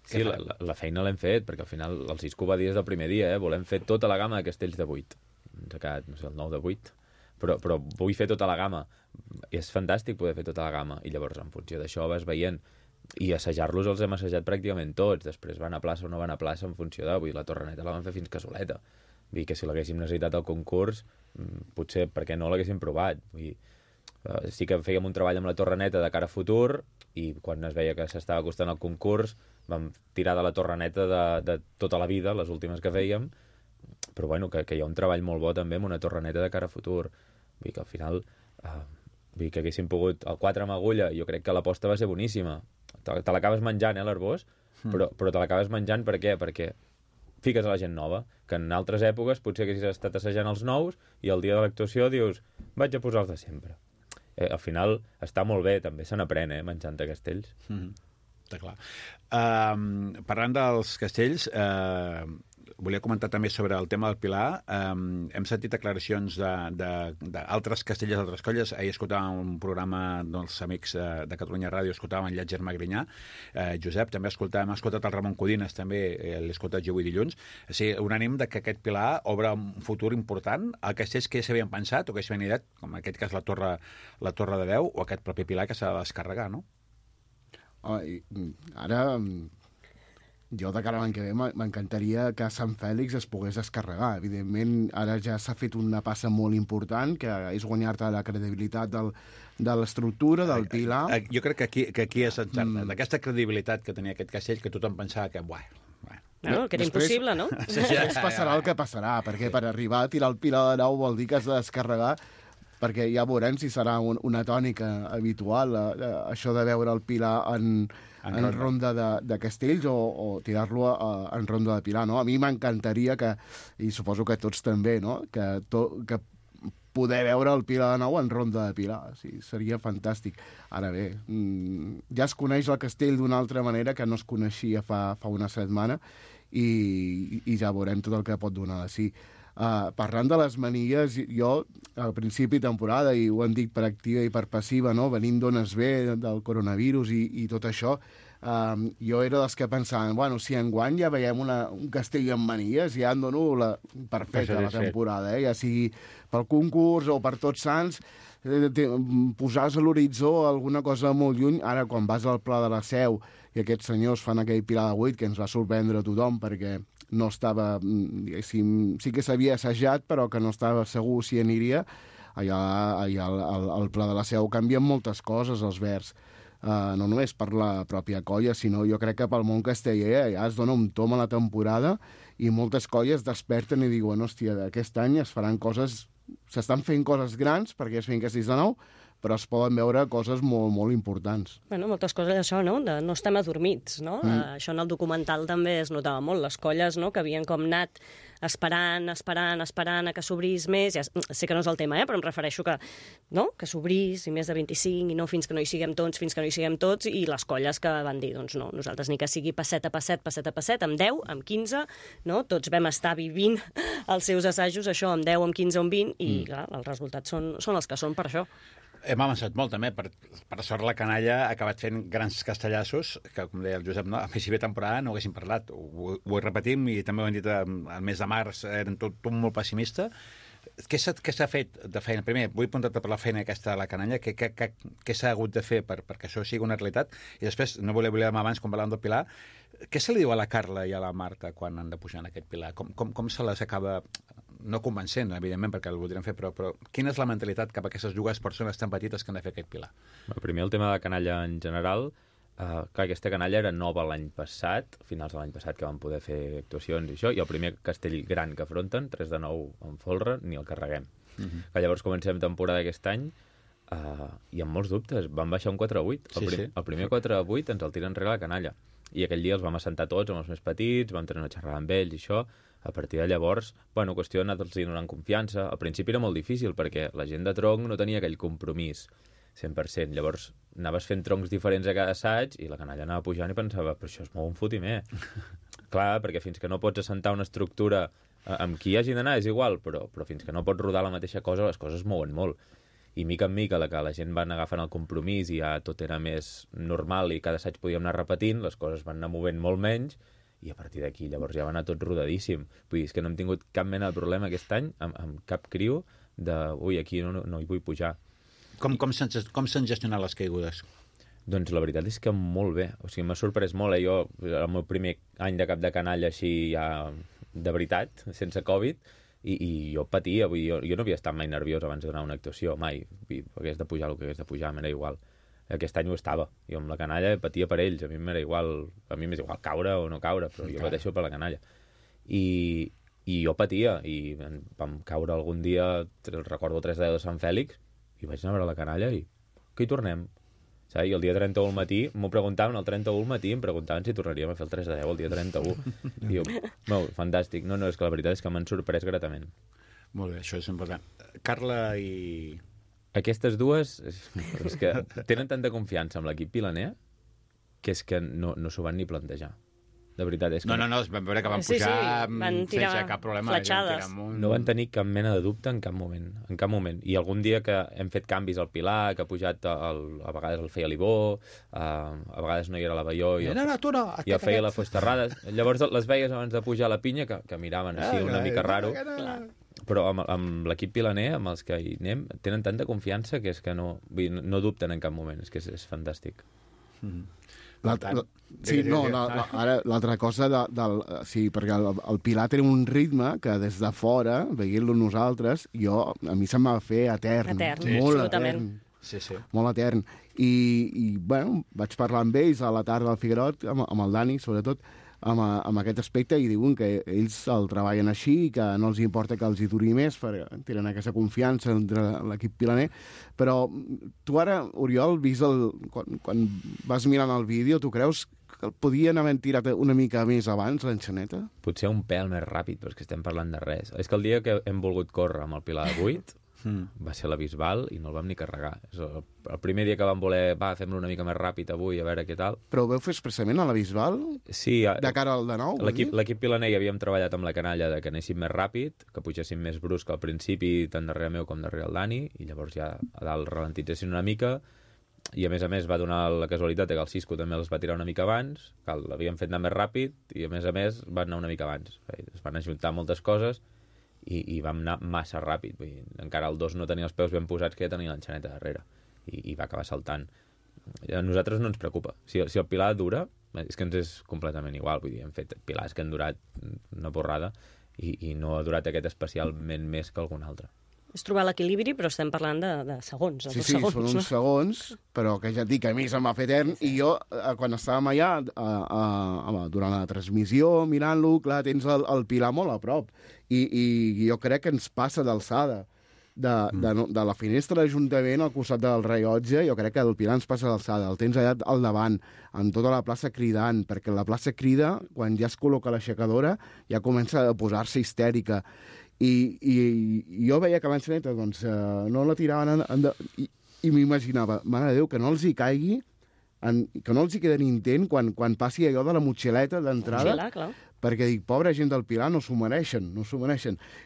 Sí, la feina l'hem fet, perquè al final el Cisco va dir des del primer dia, volem fer tota la gamma de castells de 8. Ens ha quedat, no sé, el 9 de 8, però vull fer tota la gamma. I és fantàstic poder fer tota la gamma, i llavors en funció d'això vas veient, i assajar-los els hem assajat pràcticament tots, després van a plaça o no van a plaça en funció de... Vull dir, la torreneta la van fer fins casoleta. Vull dir que si l'haguéssim necessitat al concurs, potser perquè no l'haguéssim provat. Vull dir, sí que fèiem un treball amb la torreneta de cara a futur, i quan es veia que s'estava acostant al concurs, vam tirar de la torreneta de tota la vida, les últimes que fèiem, però bueno, que hi ha un treball molt bo també amb una torreneta de cara a futur. Vull dir que al final... Vull dir que haguéssim pogut... El 4 amb agulla, jo crec que l'aposta va ser boníssima. Te l'acabes menjant, l'Arbós, però te l'acabes menjant per què? Perquè fiques a la gent nova, que en altres èpoques potser haguessis estat assajant els nous i el dia de l'actuació dius, vaig a posar els de sempre. Al final està molt bé, també se n'aprèn, menjant castells. Està clar. Parlant dels castells, volia comentar també sobre el tema del Pilar. Hem sentit declaracions d'altres castellers d'altres colles. Ahir escoltàvem un programa dels amics de Catalunya Ràdio, escoltàvem en Llàtzer Magrinyà, Josep, també hem escoltat el Ramon Codines, també l'he escoltat jo avui dilluns. O sigui, un ànim de que aquest Pilar obre un futur important a castells que s'havien pensat o que s'havien ideat, com en aquest cas la torre de 10, o aquest propi Pilar que s'ha de descarregar, no? Ara... Jo, de cara a l'any que ve, m'encantaria que Sant Fèlix es pogués descarregar. Evidentment, ara ja s'ha fet una passa molt important, que és guanyar-te la credibilitat de l'estructura, del Pilar. Jo crec que aquí és encertat. Aquesta credibilitat que tenia aquest castell, que tothom pensava que, No, que era impossible, no? Després passarà el que passarà, perquè per arribar a tirar el Pilar de 9 vol dir que has de descarregar, perquè ja veurem si serà una tònica habitual, això de veure el Pilar en ronda de castells o tirar-lo en ronda de Pilar, no? A mi m'encantaria que, i suposo que tots també, no? Que poder veure el Pilar de nou en ronda de Pilar. Sí, seria fantàstic. Ara bé, ja es coneix el castell d'una altra manera que no es coneixia fa una setmana i ja veurem tot el que pot donar de sí. Parlant de les manilles, jo al principi de temporada, i ho hem dit per activa i per passiva, no? Venint d'ones bé del coronavirus i tot això, jo era dels que pensaven, bueno, si enguany ja veiem un castell amb manilles, ja em dono per feta la temporada, ja sigui pel concurs o per Tots Sants, posar-se a l'horitzó alguna cosa molt lluny. Ara, quan vas al Pla de la Seu i aquests senyors fan aquell Pilar de 8, que ens va sorprendre a tothom, perquè no estava, diguéssim, sí que s'havia assajat, però que no estava segur si aniria. Allà al Pla de la Seu canvien moltes coses, els verds. no només per la pròpia colla, sinó jo crec que pel món casteller ja es dona un tom a la temporada i moltes colles desperten i diuen, hòstia, aquest any es faran coses, s'estan fent coses grans perquè es finca 6 de 9, però es poden veure coses molt, molt importants. Bueno, moltes coses d'això, no? No estem adormits, no? Això en el documental també es notava molt. Les colles, no?, que havien com anat esperant a que s'obrís més. Ja sé que no és el tema, però em refereixo que, no?, que s'obrís i més de 25 i no fins que no hi siguem tots, i les colles que van dir, doncs no, nosaltres ni que sigui passet a passet, amb 10, amb 15, no? Tots vam estar vivint els seus assajos, això, amb 10, amb 15 o amb 20, i clar, els resultats són els que són per això. Hem avançat molt, també. Per sort, la canalla ha acabat fent grans castellassos, que, com deia el Josep, no? A més, si bé temporada no ho haguéssim parlat. Ho repetim, i també ho hem dit al mes de març, eren tot molt pessimista. Què s'ha fet de feina? Primer, vull apuntar-te per la feina aquesta de la canalla. Què s'ha hagut de fer perquè això sigui una realitat? I després, no volia abans, quan parlàvem del Pilar, què se li diu a la Carla i a la Marta quan han de pujar en aquest Pilar? Com se les acaba... no convencent, evidentment, perquè el voldrien fer, però quina és la mentalitat cap a aquestes dues persones tan petites que han de fer aquest Pilar? Primer, el tema de la canalla en general. Clar, aquesta canalla era nova l'any passat, finals de l'any passat, que van poder fer actuacions i això, i el primer castell gran que afronten, 3 de 9 en folre, ni el carreguem. Que llavors comencem temporada aquest any i amb molts dubtes. Van baixar un 4 a 8. El primer 4 a 8 ens el tira enrere la canalla. I aquell dia els vam assentar tots amb els més petits, vam tenir una xerrada amb ells i això. A partir de llavors, qüestió d'anar-los donant confiança. Al principi era molt difícil perquè la gent de tronc no tenia aquell compromís 100%. Llavors anaves fent troncs diferents a cada assaig i la canalla anava pujant i pensava, però això es mou un fotimer. Clar, perquè fins que no pots assentar una estructura amb qui hagi d'anar és igual, però fins que no pots rodar la mateixa cosa, les coses es mouen molt. I mica en mica, la gent va anar agafant el compromís i ja tot era més normal i cada assaig podíem anar repetint, les coses van anar movent molt menys, i a partir d'aquí llavors ja va anar tot rodadíssim. Vull dir, és que no hem tingut cap mena de problema aquest any amb cap criu de, aquí no hi vull pujar. Com s'han gestionat les caigudes? Doncs la veritat és que molt bé. O sigui, m'ha sorprès molt. Jo, el meu primer any de cap de canalla així ja de veritat, sense Covid, i jo patia. Vull dir, jo no havia estat mai nerviós abans de donar una actuació, mai. Hagués de pujar el que hagués de pujar, m'era igual. Aquest any ho estava. Jo amb la canalla patia per ells. A mi m'és igual caure o no caure, però jo pateixo per la canalla. I jo patia. I vam caure algun dia, recordo 3 de 10 de Sant Fèlix, i vaig anar a veure la canalla i que hi tornem. I el dia 31 al matí m'ho preguntaven, el 31 al matí em preguntaven si tornaríem a fer el 3 de 10 el dia 31. I jo, fantàstic. No, és que la veritat és que m'han sorprès gratament. Molt bé, això és important. Carla i... Aquestes dues és que tenen tanta confiança amb l'equip pilaner que és que no s'ho van ni plantejar. De veritat, és que... No, es van veure que van pujar sense cap problema. Fletxades. No van tenir cap mena de dubte en cap moment. En cap moment. I algun dia que hem fet canvis al Pilar, que ha pujat, a vegades el feia l'Ibó, a vegades no hi era la Baió, i el feia la Fusterrada. Llavors les veies abans de pujar a la pinya, que miraven així una mica raro. Però amb l'equip pilaner, amb els que hi anem, tenen tanta confiança que és que no dubten en cap moment. És que és fantàstic. Ara l'altra cosa perquè el Pilar té un ritme que des de fora, veient-lo nosaltres, a mi se'm va fer etern. Molt etern. Sí. Molt etern. I vaig parlar amb ells a la tarda del Figuerot, amb el Dani, sobretot, amb aquest aspecte, i diuen que ells el treballen així i que no els importa que els hi duri més, perquè tenen aquesta confiança entre l'equip pilaner. Però tu ara, Oriol, quan vas mirant el vídeo, tu creus que podien haver tirat una mica més abans l'enxaneta? Potser un pèl més ràpid, però és que estem parlant de res. És que el dia que hem volgut córrer amb el Pilar de 8 va ser a la Bisbal i no el vam ni carregar. El primer dia que vam voler, fem-lo una mica més ràpid avui, a veure què tal. Però ho veu fer expressament a la Bisbal? Sí. De cara al de nou? L'equip pilaner havíem treballat amb la canalla de que anéssim més ràpid, que pugéssim més brusc al principi, tant darrere meu com darrere el Dani, i llavors ja a dalt ralentitzessin una mica, i a més va donar la casualitat que el Cisco també els va tirar una mica abans, que l'havíem fet anar més ràpid, i a més van anar una mica abans. Es van ajuntar moltes coses, i vam anar massa ràpid. Vull dir, encara el 2 no tenia els peus ben posats, que ja tenia l'enxaneta darrere, i va acabar saltant. A nosaltres no ens preocupa. Si el Pilar dura, és que ens és completament igual. Vull dir, hem fet pilars que han durat una borrada i no ha durat aquest especialment més que algun altre. És trobar l'equilibri, però estem parlant de segons. Sí, segons, són uns segons, però que ja et dic que a mi se'm va fer etern, i jo, quan estàvem allà, durant la transmissió, mirant-lo, clar, tens el Pilar molt a prop, i jo crec que ens passa d'alçada. De la finestra de l'Ajuntament al costat del rellotge, jo crec que el Pilar ens passa d'alçada, el tens allà al davant, en tota la plaça cridant, perquè la plaça crida, quan ja es col·loca l'aixecadora, ja comença a posar-se histèrica. I jo veia que l'enxaneta no la tiraven i m'imaginava, mare de Déu, que no els hi caigui, que no els hi quedi intent quan passi allò de la motxileta d'entrada, perquè dic, pobra gent del Pilar, no s'ho mereixen.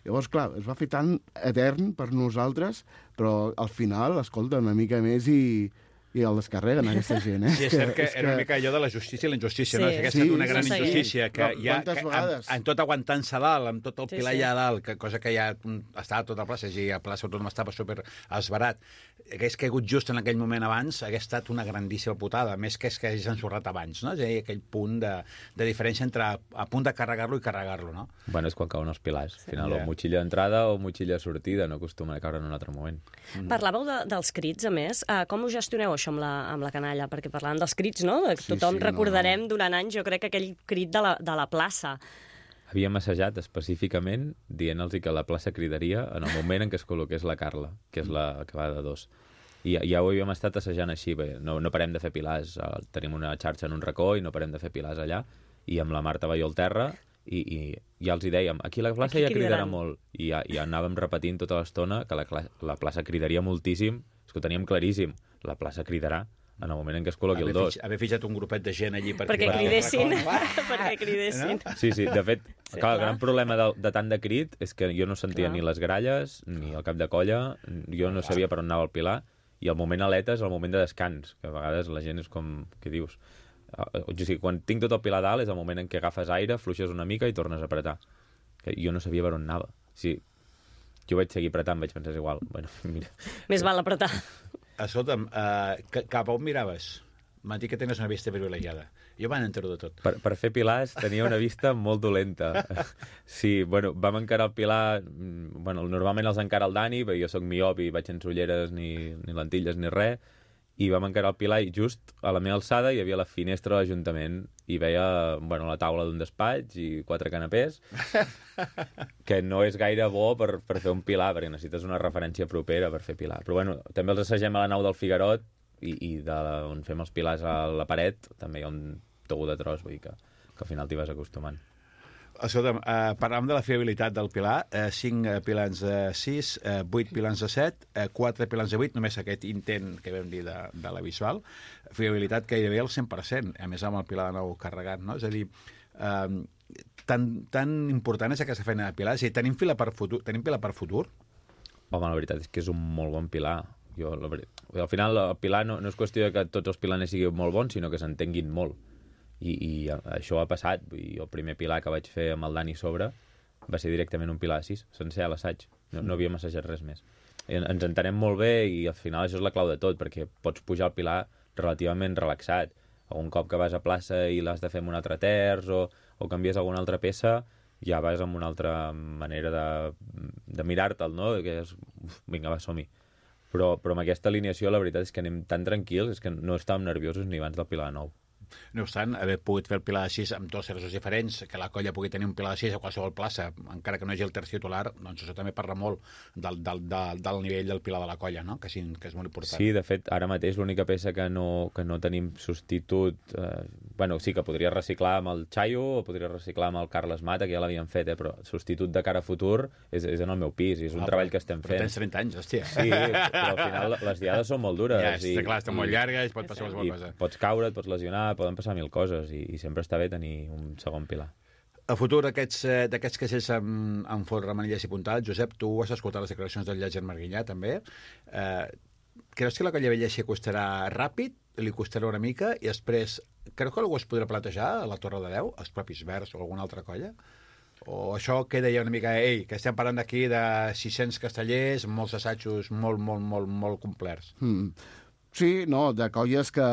Llavors, clar, es va fer tan etern per nosaltres, però al final, escolta, una mica més i el descarreguen, aquesta gent, Sí, és cert que era una mica allò de la justícia i la injustícia, no? Que aquesta és una gran injustícia, que ja, en tot aguantant-se dalt, amb tot el Pilar allà dalt, cosa que ja estava a tota la plaça, i a la plaça Autònoma estava super esbarat, hagués caigut just en aquell moment abans, hagués estat una grandíssima putada, més que hagués ensorrat abans, no? És a dir, aquell punt de diferència entre a punt de carregar-lo i carregar-lo, no? Bueno, és quan cauen els pilars. Al final, o motxilla d'entrada o motxilla de sortida, no acostuma a caure en un altre moment. Parlàveu dels crits, a més. Com ho gestioneu, això, amb la canalla? Perquè parlàvem dels crits, no? Tothom recordarem durant anys, jo crec, aquell crit de la plaça. Havíem assajat específicament dient-los que la plaça cridaria en el moment en què es col·loqués la Carla, que és la que va de 2. I ja ho havíem estat assajant així, bé, no parem de fer pilars, tenim una xarxa en un racó i no parem de fer pilars allà, i amb la Marta Baió al terra, i ja els hi dèiem, aquí la plaça ja cridarà molt, i ja anàvem repetint tota l'estona que la plaça cridaria moltíssim, és que ho teníem claríssim, la plaça cridarà en el moment en què es col·loqui el 2. Haver fitxat un grupet de gent allí perquè cridessin. Perquè cridessin. Sí, de fet, clar, el gran problema de tant de crit és que jo no sentia ni les gralles, ni el cap de colla, jo no sabia per on anava el Pilar, i el moment aleta és el moment de descans, que a vegades la gent és com, què dius? O sigui, quan tinc tot el Pilar dalt és el moment en què agafes aire, fluixes una mica i tornes a apretar. Que jo no sabia per on anava. Sí, jo vaig seguir apretant, vaig pensar, igual, bueno, mira. Més val apretar. Escolta'm, cap a on miraves? M'han dit que tenies una vista privilegiada. Jo van entero de tot. Per fer pilars tenia una vista molt dolenta. Sí, bueno, vam encarar el Pilar... Bueno, normalment els encara el Dani, perquè jo sóc miop i vaig sense ulleres ni lentilles ni res, i vam encarar el Pilar i just a la meva alçada hi havia la finestra de l'Ajuntament i veia la taula d'un despatx i 4 canapés, que no és gaire bo per fer un Pilar, perquè necessites una referència propera per fer Pilar. Però bueno, també els assagem a la nau del Figuerot i on fem els pilars a la paret també hi ha un togú de tros, vull dir que al final t'hi vas acostumant. Escolta'm, parlàvem de la fiabilitat del Pilar, 5 pilans de 6, 8 pilans de 7, 4 pilans de 8, només aquest intent que vam dir de la visual, fiabilitat gairebé al 100%, a més amb el Pilar de nou carregat, no? És a dir, tan important és aquesta feina de Pilar, és a dir, tenim Pilar per futur? Home, la veritat és que és un molt bon Pilar. Al final, el Pilar no és qüestió de que tots els pilaners siguin molt bons, sinó que s'entenguin molt. I això ha passat. El primer Pilar que vaig fer amb el Dani sobre va ser directament un Pilar de 6, sencer a l'assaig. No havíem assajat res més. Ens entenem molt bé i al final això és la clau de tot, perquè pots pujar al Pilar relativament relaxat. Un cop que vas a plaça i l'has de fer amb un altre terç o canvies alguna altra peça, ja vas amb una altra manera de mirar-te'l, no? Que és, vinga, va, som-hi. Però amb aquesta alineació la veritat és que anem tan tranquils, és que no estàvem nerviosos ni abans del Pilar de 9. No obstant, haver pogut fer el Pilar de 6 amb 2 terços diferents, que la colla pugui tenir un Pilar de 6 a qualsevol plaça, encara que no hi hagi el terç titular, doncs això també parla molt del nivell del Pilar de la colla, no? Que és molt important. Sí, de fet, ara mateix l'única peça que no tenim substitut... Bueno, sí que podria reciclar amb el Chayo o podria reciclar amb el Carles Mata, que ja l'havien fet, però substitut de cara a futur és en el meu pis, i és un treball que estem fent. Però tens 30 anys, hòstia. Sí, però al final les diades són molt dures. Ja, està clar, estan molt llargues, pot passar qualsevol cosa. Pots caure, et pots lesionar, poden passar 1000 coses, i sempre està bé tenir un segon Pilar. A futur, d'aquests caixers amb folre, manilles i puntals, Josep, tu has escoltat les declaracions del Llàger Marguinyà, també. Creus que la colla vella s'hi acostarà ràpid, li costarà una mica, i després, creus que algú es podrà plantejar a la Torre de Déu, els propis Verds o alguna altra colla? O això queda ja una mica, que estem parlant d'aquí de 600 castellers, molts assajos molt complerts? Sí, no, de colles que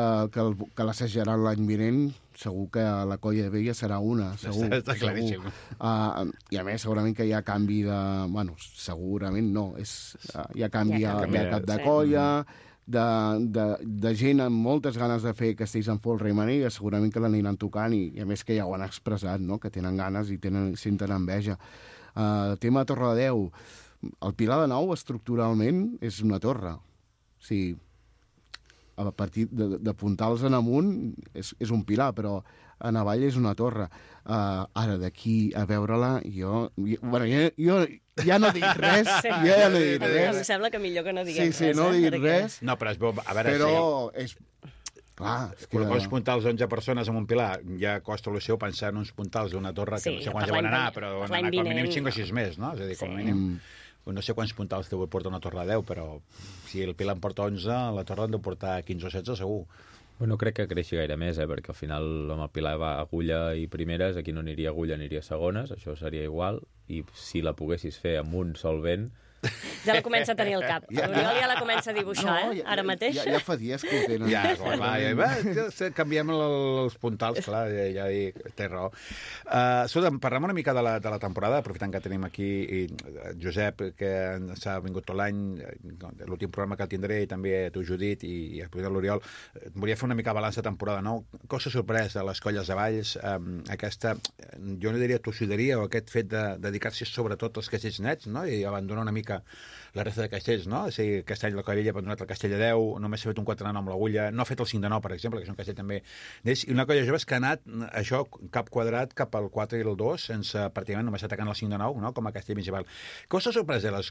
l'assajaran l'any vinent, segur que la colla vella serà una, segur. Està claríssim. I a més, segurament que hi ha canvi de... Bueno, segurament no, hi ha canvi de cap de colla, de gent amb moltes ganes de fer castells en folre i manilla, segurament que l'aniran tocant i a més que ja ho han expressat, no? Que tenen ganes i senten enveja. El tema de Torredeu, el Pilar de Nou estructuralment és una torre. O sigui, a partir de puntals en amunt és un pilar, però en avall és una torre. Ara, d'aquí a veure-la, jo ja no dic res. Sí. Jo ja no dic res. Em sembla que millor que no diguem res. Sí, no dic res. No, però es veu, a veure... Però sí. és... Clar, és que... Quan vols puntar els 11 persones en un pilar, ja costa el seu pensar en uns puntals d'una torre que no sé quants ja van anar, però van anar com a mínim 5 o 6 més, no? És a dir, com a mínim... No sé quants puntals te vull portar una torre de 10, però si el Pilar en porta 11, la torre han de portar 15 o 16 segur. No crec que creixi gaire més, perquè al final amb el Pilar va agulla i primeres, aquí no aniria agulla, aniria segones, això seria igual, i si la poguessis fer amb un sol vent... Ja la comença a tenir al cap. L'Oriol ja la comença a dibuixar, ara mateix. Ja fa dies que ho tenen. Ja, canviem els puntals, clar, ja dic, té raó. Escolta, parlem una mica de la temporada, aprofitant que tenim aquí Josep, que s'ha vingut tot l'any, l'últim programa que el tindré, i també tu, Judit, i l'Oriol. Volia fer una mica balanç de temporada, no? Cosa sorpresa a les colles de Valls, aquesta, jo no diria tossuderia, o aquest fet de dedicar-se sobretot als castells nets, no? I abandonar una mica la resta de castells, no? O sigui, aquest any la Colla Vella ha abandonat el castell de 10, només s'ha fet un 4 de 9 amb l'agulla, no ha fet el 5 de 9, per exemple, que és un castell també d'ells, i una colla jove que ha anat, això, cap quadrat, cap al 4 i el 2, sense, pràcticament, només atacant el 5 de 9, no? Com a castell principal. Què us ha sorprès de les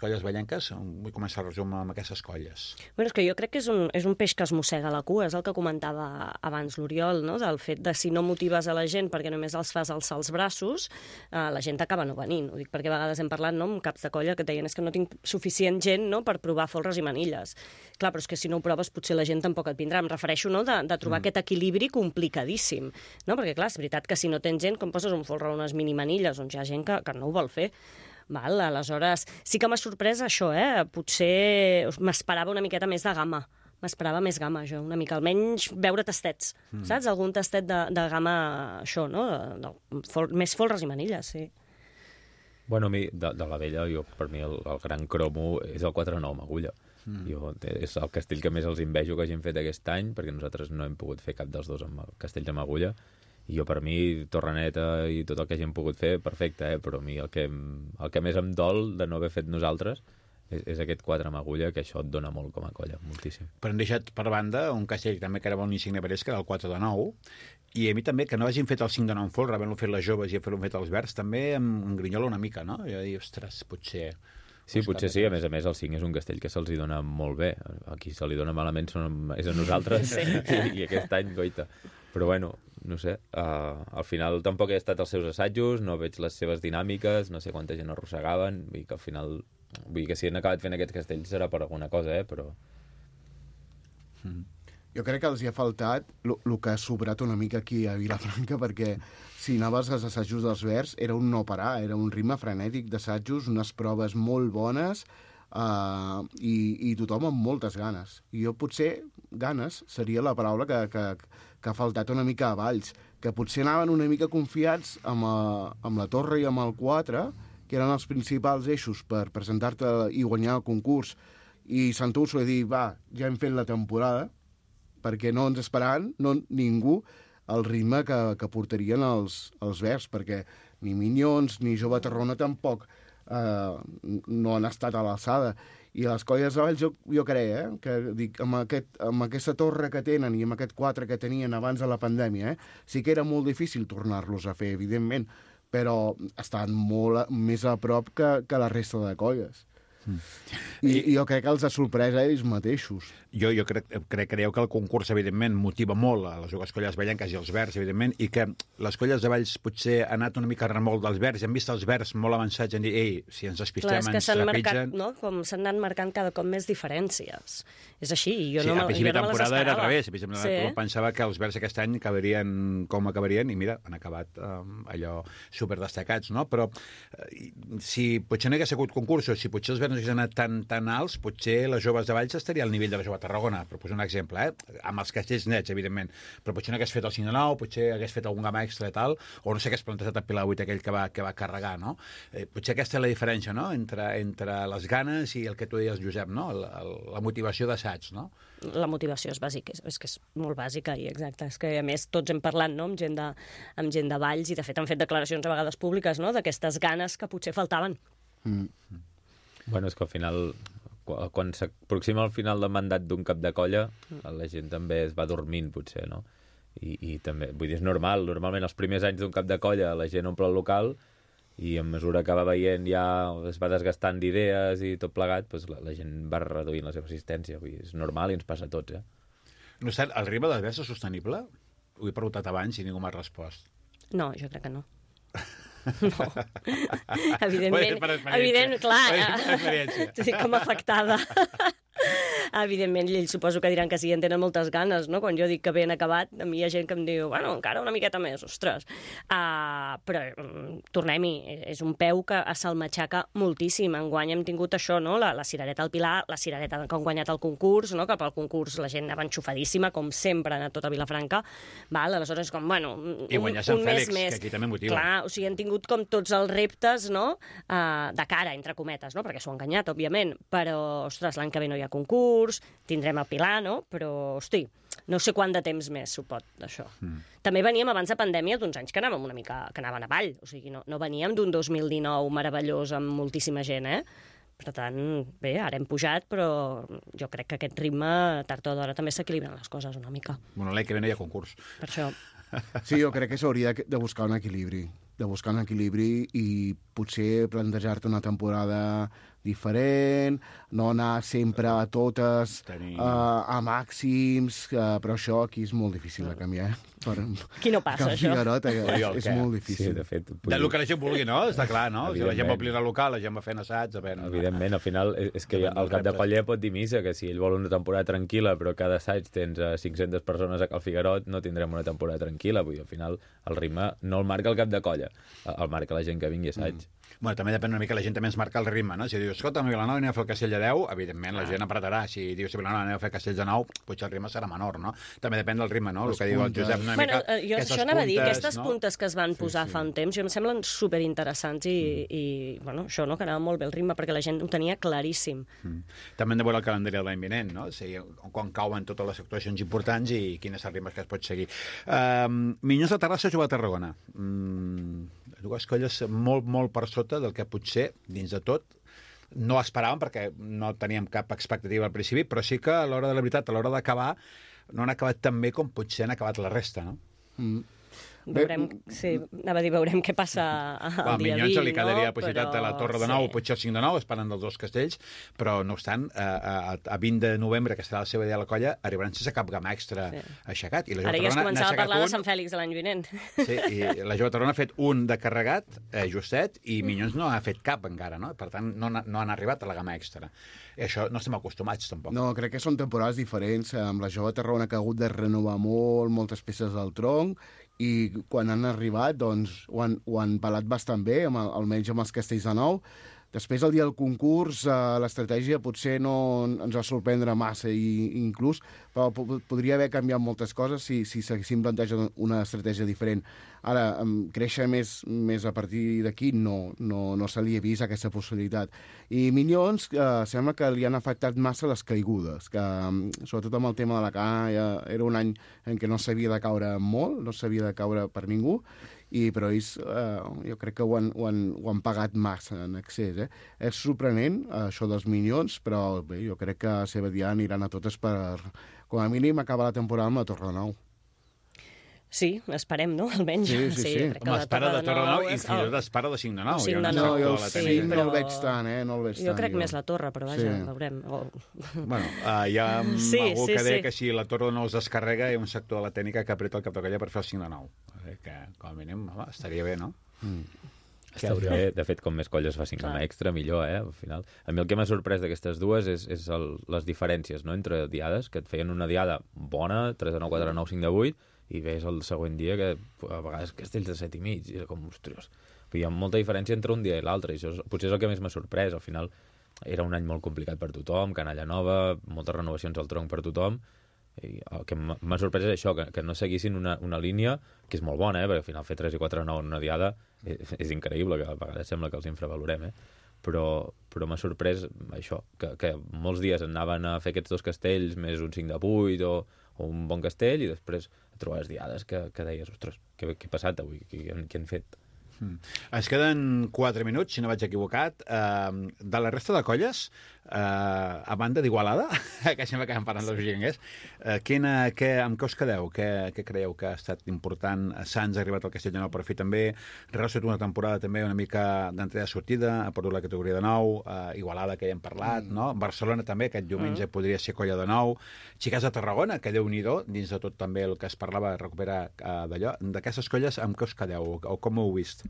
colles ballenques? Vull començar el resum amb aquestes colles. Bueno, és que jo crec que és un peix que es mossega la cua, és el que comentava abans l'Oriol, no? Del fet de si no motives a la gent perquè només els fas alçar els braços, la gent acaba no venint. Ho dic perquè a vegades hem parlat, no?, amb caps de colla que deien és que no tinc suficient gent, no?, per provar folres i manilles. Clar, però és que si no ho proves potser la gent tampoc et vindrà. Em refereixo, no?, de trobar aquest equilibri complicadíssim, no? Perquè clar, és veritat que si no tens gent, com poses un folre o unes mini manilles on hi ha gent que no ho vol fer? Val, aleshores, sí que m'ha sorprès això, potser m'esperava una miqueta més de gamma. M'esperava més gamma, jo, una mica. Almenys veure tastets, saps? Algun tastet de gamma, això, no? Més folres i manilles, sí. Bueno, a mi, de la vella, per mi el gran cromo és el 4-9 amb agulla. És el castell que més els invejo que hagin fet aquest any, perquè nosaltres no hem pogut fer cap dels dos amb castells amb agulla. I jo, per mi, Torreneta i tot el que hagin pogut fer, perfecte, però a mi el que més em dol de no haver fet nosaltres és aquest 4 amb agulla, que això et dona molt com a colla, moltíssim. Però hem deixat per banda un castell també que era molt insigne per ells, que era el 4 de 9, i a mi també, que no hagin fet el 5 de 9 en folre, havent-lo fet les joves i havent-lo fet els verds, també em grinyola una mica, no? Jo dic, ostres, potser... Sí, potser sí, a més, el 5 és un castell que se'ls dona molt bé. A qui se li dona malament és a nosaltres, sí. I aquest any, goita. Però bueno, no sé, al final tampoc he estat als seus assajos, no veig les seves dinàmiques, no sé quanta gent arrossegaven, vull que al final... Vull que si han acabat fent aquest castell serà per alguna cosa, però... Jo crec que els hi ha faltat el que ha sobrat una mica aquí a Vilafranca, perquè si anaves als assajos dels Verds era un no parar, era un ritme frenètic d'assajos, unes proves molt bones i tothom amb moltes ganes. I jo potser, ganes, seria la paraula que ha faltat una mica a Valls, que potser anaven una mica confiats amb la Torre i amb el 4, que eren els principals eixos per presentar-te i guanyar el concurs, i Sant Úrsula dir, va, ja hem fet la temporada, perquè no ens esperaven, ningú, el ritme que portarien els Verds, perquè ni Minyons ni Jove Tarrona tampoc no han estat a l'alçada. I les colles de Valls, jo crec, que dic, amb aquesta torre que tenen i amb aquest 4 que tenien abans de la pandèmia, sí que era molt difícil tornar-los a fer, evidentment, però estan molt més a prop que la resta de colles. I jo crec que els ha sorprès a ells mateixos. Jo creieu que el concurs, evidentment, motiva molt a les dues colles ballenques i els Verds, evidentment, i que les colles de Valls potser han anat una mica a remolc dels Verds, han vist els Verds molt avançats i han dit, ei, si ens despistem, ens trepitgen... No? Com s'han anat marcant cada cop més diferències. És així, jo sí, no me les esperava. A temporada era al revés. Sí. Pensava que els Verds aquest any acabarien com acabarien, i mira, han acabat allò superdestacats, no? Però si potser no hi hagués hagut concursos, si potser els Verds no haguessin anat tan alts, potser les joves de Valls estaria al nivell de la jove Tarragona, per posar un exemple, amb els castells nets, evidentment, però potser no hagués fet el 5 de 9, potser hagués fet algun gamma extra i tal, o no sé què hagués plantejat el Pilar 8 aquell que va carregar, no? Potser aquesta és la diferència, no?, entre les ganes i el que tu deies, Josep, no?, la motivació d'assaig, no? La motivació és bàsica, és que és molt bàsica i exacte. És que, a més, tots hem parlat, no?, amb gent de Valls i, de fet, han fet declaracions a vegades públiques, no?, d'aquestes ganes que potser faltaven. Bueno, és que al final, quan s'aproxima al final del mandat d'un cap de colla, la gent també es va dormint, potser, no? I també, vull dir, és normal. Normalment, els primers anys d'un cap de colla, la gent omple el local i a mesura que va veient ja es va desgastant d'idees i tot plegat, doncs la gent va reduint la seva assistència. Vull dir, és normal i ens passa a tots, No sé, el ritme del vers és sostenible? Ho he preguntat abans i ningú m'ha respost. No, jo crec que no. No. Evidentment, clar, com afectada. Evidentment, ells suposo que diran que sí, en tenen moltes ganes, no? Quan jo dic que ben acabat, a mi hi ha gent que em diu, bueno, encara una miqueta més, ostres. Però tornem-hi, és un peu que se'l matxaca moltíssim. Enguany hem tingut això, no? La cirereta al Pilar, la cirereta que han guanyat el concurs, no? Que pel concurs la gent anava enxufadíssima, com sempre ha anat tot a Vilafranca. Val? Aleshores és com, bueno, I guanyar Sant Fèlix, que aquí també motiva. Clar, o sigui, han tingut com tots els reptes, no?, de cara, entre cometes, no?, perquè s'ho han enganyat, òbviament, però, ostres, l'any que ve no hi ha concurs, tindrem el Pilar, no?, però, hosti, no sé quant de temps més s'ho pot, d'això. També veníem abans de pandèmia d'uns anys que anàvem una mica, que anaven avall, o sigui, no veníem d'un 2019 meravellós amb moltíssima gent, Per tant, bé, ara hem pujat, però jo crec que aquest ritme, tard o d'hora, també s'equilibren les coses una mica. Bueno, l'any que ve no hi ha concurs. Per això. Sí, jo crec que s'hauria de buscar un equilibri. I potser plantejar-te una temporada diferent, no anar sempre a totes a màxims, però això aquí és molt difícil de canviar. Qui no passa, això? Figuerot, és molt difícil. Sí, de fet. Del que la gent vulgui, no? Està clar, no? Si la gent va omplir el local, la gent va fent assaig... Evidentment, al final, és que el cap de colla pot dir missa, que si ell vol una temporada tranquil·la, però cada assaig tens 500 persones a Cal Figuerot, no tindrem una temporada tranquil·la. Vull dir, al final, el ritme no el marca el cap de colla, el marca la gent que vingui a assaig. Bueno, també depèn una mica, la gent també ens marca el ritme, no? Si dius, escolta, a Vilanova anem a fer el castell de 10, evidentment la gent apretarà. Si dius, a Vilanova anem a fer castell de 9, potser el ritme serà menor, no? També depèn del ritme, no? El que diu el Josep, una mica... Jo això anava a dir, aquestes puntes que es van posar fa un temps, jo em semblen superinteressants i bueno, això, no?, que anava molt bé el ritme, perquè la gent ho tenia claríssim. També hem de veure el calendari de l'any vinent, no? O sigui, quan cauen totes les actuacions importants i quins són els ritmes que es pot seguir. Minyons de Terrassa juga a Tarragona. Dues colles molt per sota del que potser, dins de tot, no esperàvem, perquè no teníem cap expectativa al principi, però sí que a l'hora de la veritat, a l'hora d'acabar, no han acabat tan bé com potser han acabat la resta, no? Veurem, sí, anava a dir, veurem què passa el dia 20, Minyons li quedaria la possibilitat però... de la Torre de Nou, potser el 5 de 9, esperant dels dos castells, però no obstant, a 20 de novembre, que serà la seva idea de la colla, arribaran sense cap gamma extra aixecat. I la ara ja es començava a parlar de Sant Fèlix de l'any vinent. Sí, i la Jove Tarragona ha fet un de carregat, justet, i Minyons no ha fet cap encara, no? Per tant, no han arribat a la gamma extra. I això no estem acostumats, tampoc. No, crec que són temporades diferents. Amb la Jove Tarragona que ha hagut de renovar moltes peces del tronc, i quan han arribat, doncs, ho han pelat bastant bé, almenys amb els castells de nou. Després, el dia del concurs, l'estratègia potser no ens va sorprendre massa, inclús, però podria haver canviat moltes coses si s'haguessin plantejat una estratègia diferent. Ara, créixer més a partir d'aquí no se li ha vist aquesta possibilitat. I Minyons sembla que li han afectat massa les caigudes, que sobretot amb el tema de la cana era un any en què no s'havia de caure molt, no s'havia de caure per ningú, però ells jo crec que ho han pagat massa en excés. És sorprenent, això dels Minyons, però bé, jo crec que a Sebadià aniran a totes per, com a mínim, acabar la temporada amb la Torre de Nou. Sí, esperem, no? Almenys. Sí. Home, espera de Torre de Nou i fins i tot espera de 5 de 9. 5 de 9. No el veig tant, no el veig tant. Jo crec més la Torre, però vaja, veurem. Bueno, hi ha algú que deia que si la Torre de Nou es descarrega hi ha un sector de la tècnica que apreta el cap de colla per fer el 5 de 9. Que, com a mínim, estaria bé, no? Estaria bé. De fet, com més colles facin gamma extra, millor, al final. A mi el que m'ha sorprès d'aquestes dues és les diferències, no?, entre diades, que et feien una diada bona, 3 de 9, 4 de 9, 5 de 8, i veus el següent dia que a vegades castells de 7 i mig, i com, ostres, hi ha molta diferència entre un dia i l'altre, i això potser és el que més m'ha sorprès. Al final, era un any molt complicat per tothom, canalla nova, moltes renovacions al tronc per tothom, i el que m'ha sorprès és això, que no seguissin una línia que és molt bona, perquè al final fer 3 i 4 de 9 en una diada és increïble, que a vegades sembla que els infravalorem, però m'ha sorprès això, que molts dies anaven a fer aquests 2 castells més un 5 de 8 o un bon castell, i després trobaves diades que deies, ostres, què ha passat avui? Què han fet? Ens queden 4 minuts, si no vaig equivocat. De la resta de colles, a banda d'Igualada, que sembla que estem parlant dels Vigenguers, amb què us quedeu? Què creieu que ha estat important? Sants ha arribat al Castell de Nou per fi també. Real ha estat una temporada també una mica d'entrada-sortida, ha perdut la categoria de nou. Igualada, que ja hem parlat, no? Barcelona també, aquest diumenge podria ser colla de nou. Xiques de Tarragona, que Déu-n'hi-do, dins de tot també el que es parlava, recuperar d'allò. D'aquestes colles, amb què us quedeu? O com ho heu vist?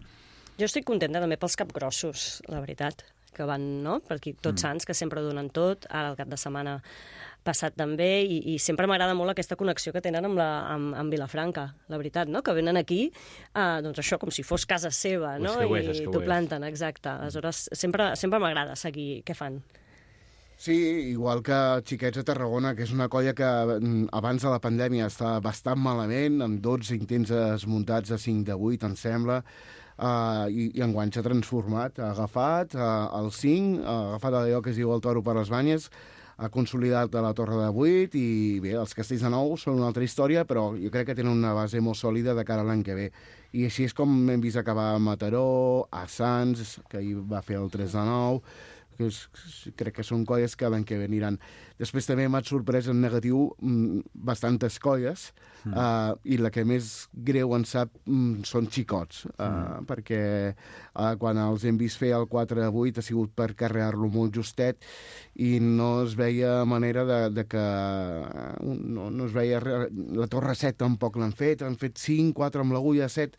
Jo estic contenta també pels capgrossos, la veritat, que van, no?, per aquí tots Sants, que sempre donen tot, ara el cap de setmana passat també, i sempre m'agrada molt aquesta connexió que tenen amb Vilafranca, la veritat, no?, que venen aquí, doncs això, com si fos casa seva, no?, i t'ho planten, exacte. Aleshores, sempre m'agrada seguir què fan. Sí, igual que Xiquets de Tarragona, que és una colla que abans de la pandèmia estava bastant malament, amb 12 intents desmuntats de 5 de 8, em sembla, i enguany s'ha transformat, ha agafat el 5, ha agafat allò que es diu el toro per les banyes, ha consolidat a la torre de 8, i bé, els castells de nou són una altra història, però jo crec que tenen una base molt sòlida de cara a l'any que ve. I així és com hem vist acabar a Mataró, a Sants, que ahir va fer el 3 de 9, crec que són colles que l'any que ve aniran. Després també m'ha sorprès en negatiu bastantes colles, i la que més greu en sap són xicots, perquè quan els hem vist fer el 4-8 ha sigut per carregar-lo molt justet, i no es veia manera de que no es veia la torre 7 tampoc l'han fet 5, 4 amb l'agulla, 7,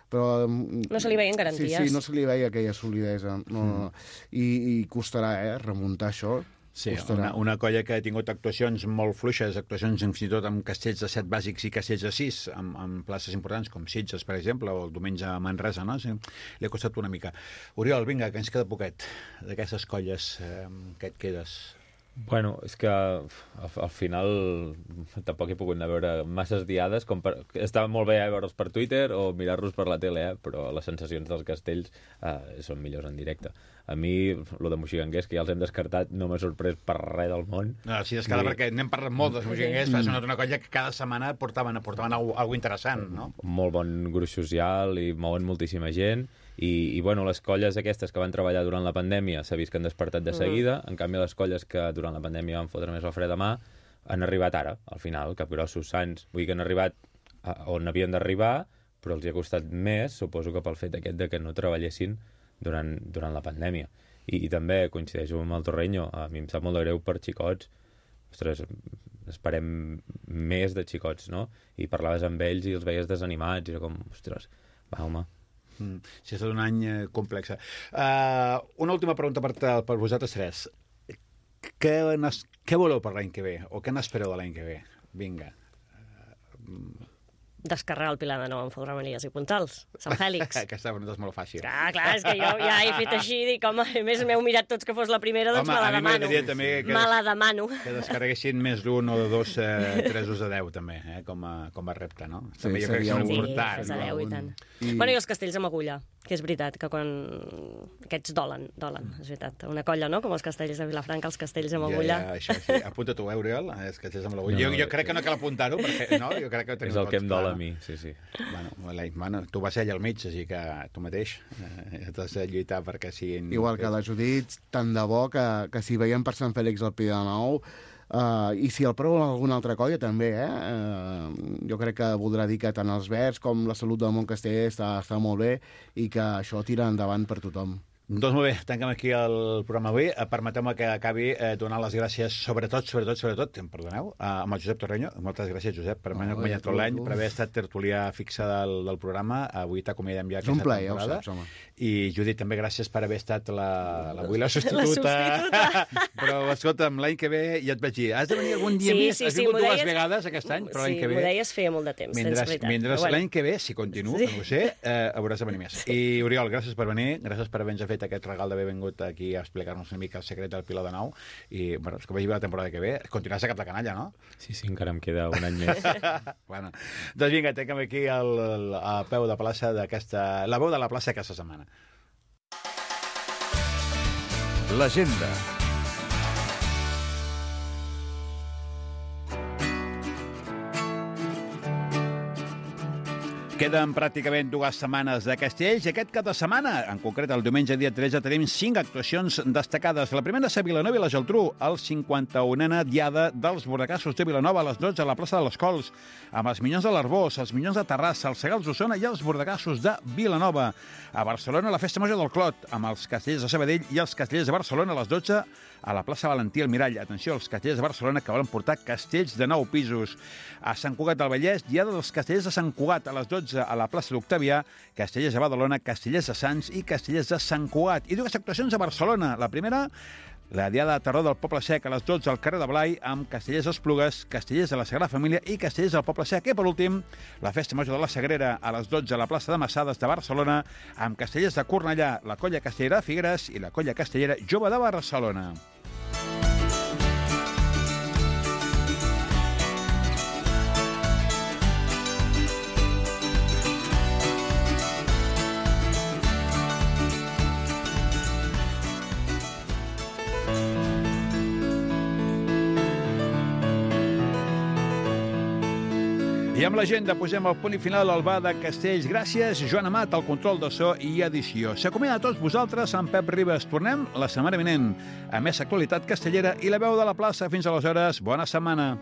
però no se li veien garanties. Sí, no se li veia aquella solidesa. No. I costarà, remuntar això. Sí, una colla que ha tingut actuacions molt fluixes, actuacions fins i tot amb castells de 7 bàsics i castells de 6, amb places importants com Sitges, per exemple, o el diumenge a Manresa, no? Sí, li ha costat una mica. Oriol, vinga, que ens queda poquet d'aquestes colles. Què et quedes? Bueno, és que al final tampoc he pogut anar a veure masses diades, estava molt bé veure'ls per Twitter o mirar-los per la tele, però les sensacions dels castells són millors en directe. A mi, lo de Moxiganguers, que ja els hem descartat, no m'ha sorprès per res del món. No, sí, és perquè n'hem parlat molt dels Moxiganguers, fa una colla que cada setmana portaven alguna interessant, no? Molt bon gruix social i mouen moltíssima gent. I bueno, les colles aquestes que van treballar durant la pandèmia s'ha vist que han despertat de seguida, en canvi les colles que durant la pandèmia van fotre més el fre de mà han arribat ara, al final, Capgrossos, Sants, vull dir que han arribat on havien d'arribar, però els hi ha costat més, suposo que pel fet aquest de que no treballessin durant la pandèmia. I també coincideixo amb el Torreño, a mi em sap molt de greu per xicots, ostres, esperem més de xicots, no? I parlaves amb ells i els veies desanimats, i era com, ostres, va, home. Sí, ha estat un any complex. Una última pregunta per vosaltres tres. Què voleu per l'any que ve? O què n'espereu de l'any que ve? Vinga. Descarregar el Pilar de Nou amb Fotramanies i Puntals, Sant Fèlix. Aquesta pregunta és molt fàcil. Clar, és que jo ja he fet així, dic, home, a més m'heu mirat tots que fos la primera, doncs me la demano. Me la demano. Que descarreguessin més d'un o de 2 3 de 10, també, com a repte, no? Sí, també jo crec que és important. Sí, 10 i tant. Bueno, i els castells amb agulla, que és veritat, que quan aquests dolen, és veritat. Una colla, no?, com els castells de Vilafranca, els castells amb agulla. Això, sí. Apunta-t'ho, Oriol, els castells amb l'agulla. Jo crec que no cal apuntar-ho, perquè no, jo crec que ho tenim tots. És el que em dol a mi, sí. Bueno, tu vas ser allà al mig, així que tu mateix t'has de lluitar perquè siguin... Igual que la Judit, tant de bo que si veiem per Sant Fèlix el Pilar de Nou, i si el prou alguna altra colla també, jo crec que voldrà dir que tant els Verds com la salut del Montcasteller està molt bé i que això tira endavant per tothom. Doncs molt bé, tanquem aquí el programa avui. Permeteu-me que acabi donant les gràcies, sobretot, em perdoneu, amb el Josep Torreño. Moltes gràcies, Josep, per haver acompanyat tot l'any, per haver estat tertulià fixa del programa. Avui t'acomiadem ja aquesta temporada. És un plaer, I, Judit, també gràcies per haver estat avui la substituta. Però, escolta'm, l'any que ve ja et vaig dir, has de venir algun dia més? Has vingut dues vegades aquest any, però l'any que ve... Sí, m'ho deies feia molt de temps, tens veritat. Mentre l'any que ve, si continuo, que no ho sé, hauràs de venir més. I, Oriol, gràcies per venir, gràcies per haver-nos fet aquest regal d'haver vingut aquí a explicar-nos una mica el secret del pilot de nau. I, bueno, és que vagi la temporada que ve. Continuaràs a cap de canalla, no? Sí, encara em queda un any més. Bueno, doncs vinga, tanquem aquí a peu de plaça d'aquesta... La veu de la plaça aquesta setmana. L'agenda. Queden pràcticament 2 setmanes de Castells i aquest cap de setmana, en concret el diumenge dia 13, tenim 5 actuacions destacades. La primera és a Vilanova i la Geltrú, el 51a diada dels Bordacassos de Vilanova a les 12 a la plaça de les Cols, amb els Minyons de l'Arbós, els Minyons de Terrassa, els Segals d'Osona i els Bordacassos de Vilanova. A Barcelona, la Festa Major del Clot, amb els Castellers de Sabadell i els Castellers de Barcelona a les 12 a la plaça Valentí Almirall. Atenció, els Castellers de Barcelona que volen portar castells de 9 pisos. A Sant Cugat del Vallès, diada dels Castellers de Sant Cugat a les 12 a la plaça d'Octavià, Castellers de Badalona, Castellers de Sants i Castellers de Sant Cugat. I 2 actuacions a Barcelona. La primera, la diada de terror del Poble Sec a les 12 al carrer de Blai, amb Castellers d'Esplugues, Castellers de la Sagrada Família i Castellers del Poble Sec. I per últim, la Festa Major de la Sagrera a les 12 a la plaça de Massades de Barcelona, amb Castellers de Cornellà, la Colla Castellera de Figueres i la Colla Castellera Jove de Barcelona. I amb l'agenda posem el punt i final al bar de Castells. Gràcies, Joan Amat, al control de so i edició. S'acomiada a tots vosaltres amb Pep Ribas. Tornem la setmana vinent a més actualitat castellera i la veu de la plaça. Fins aleshores, bona setmana.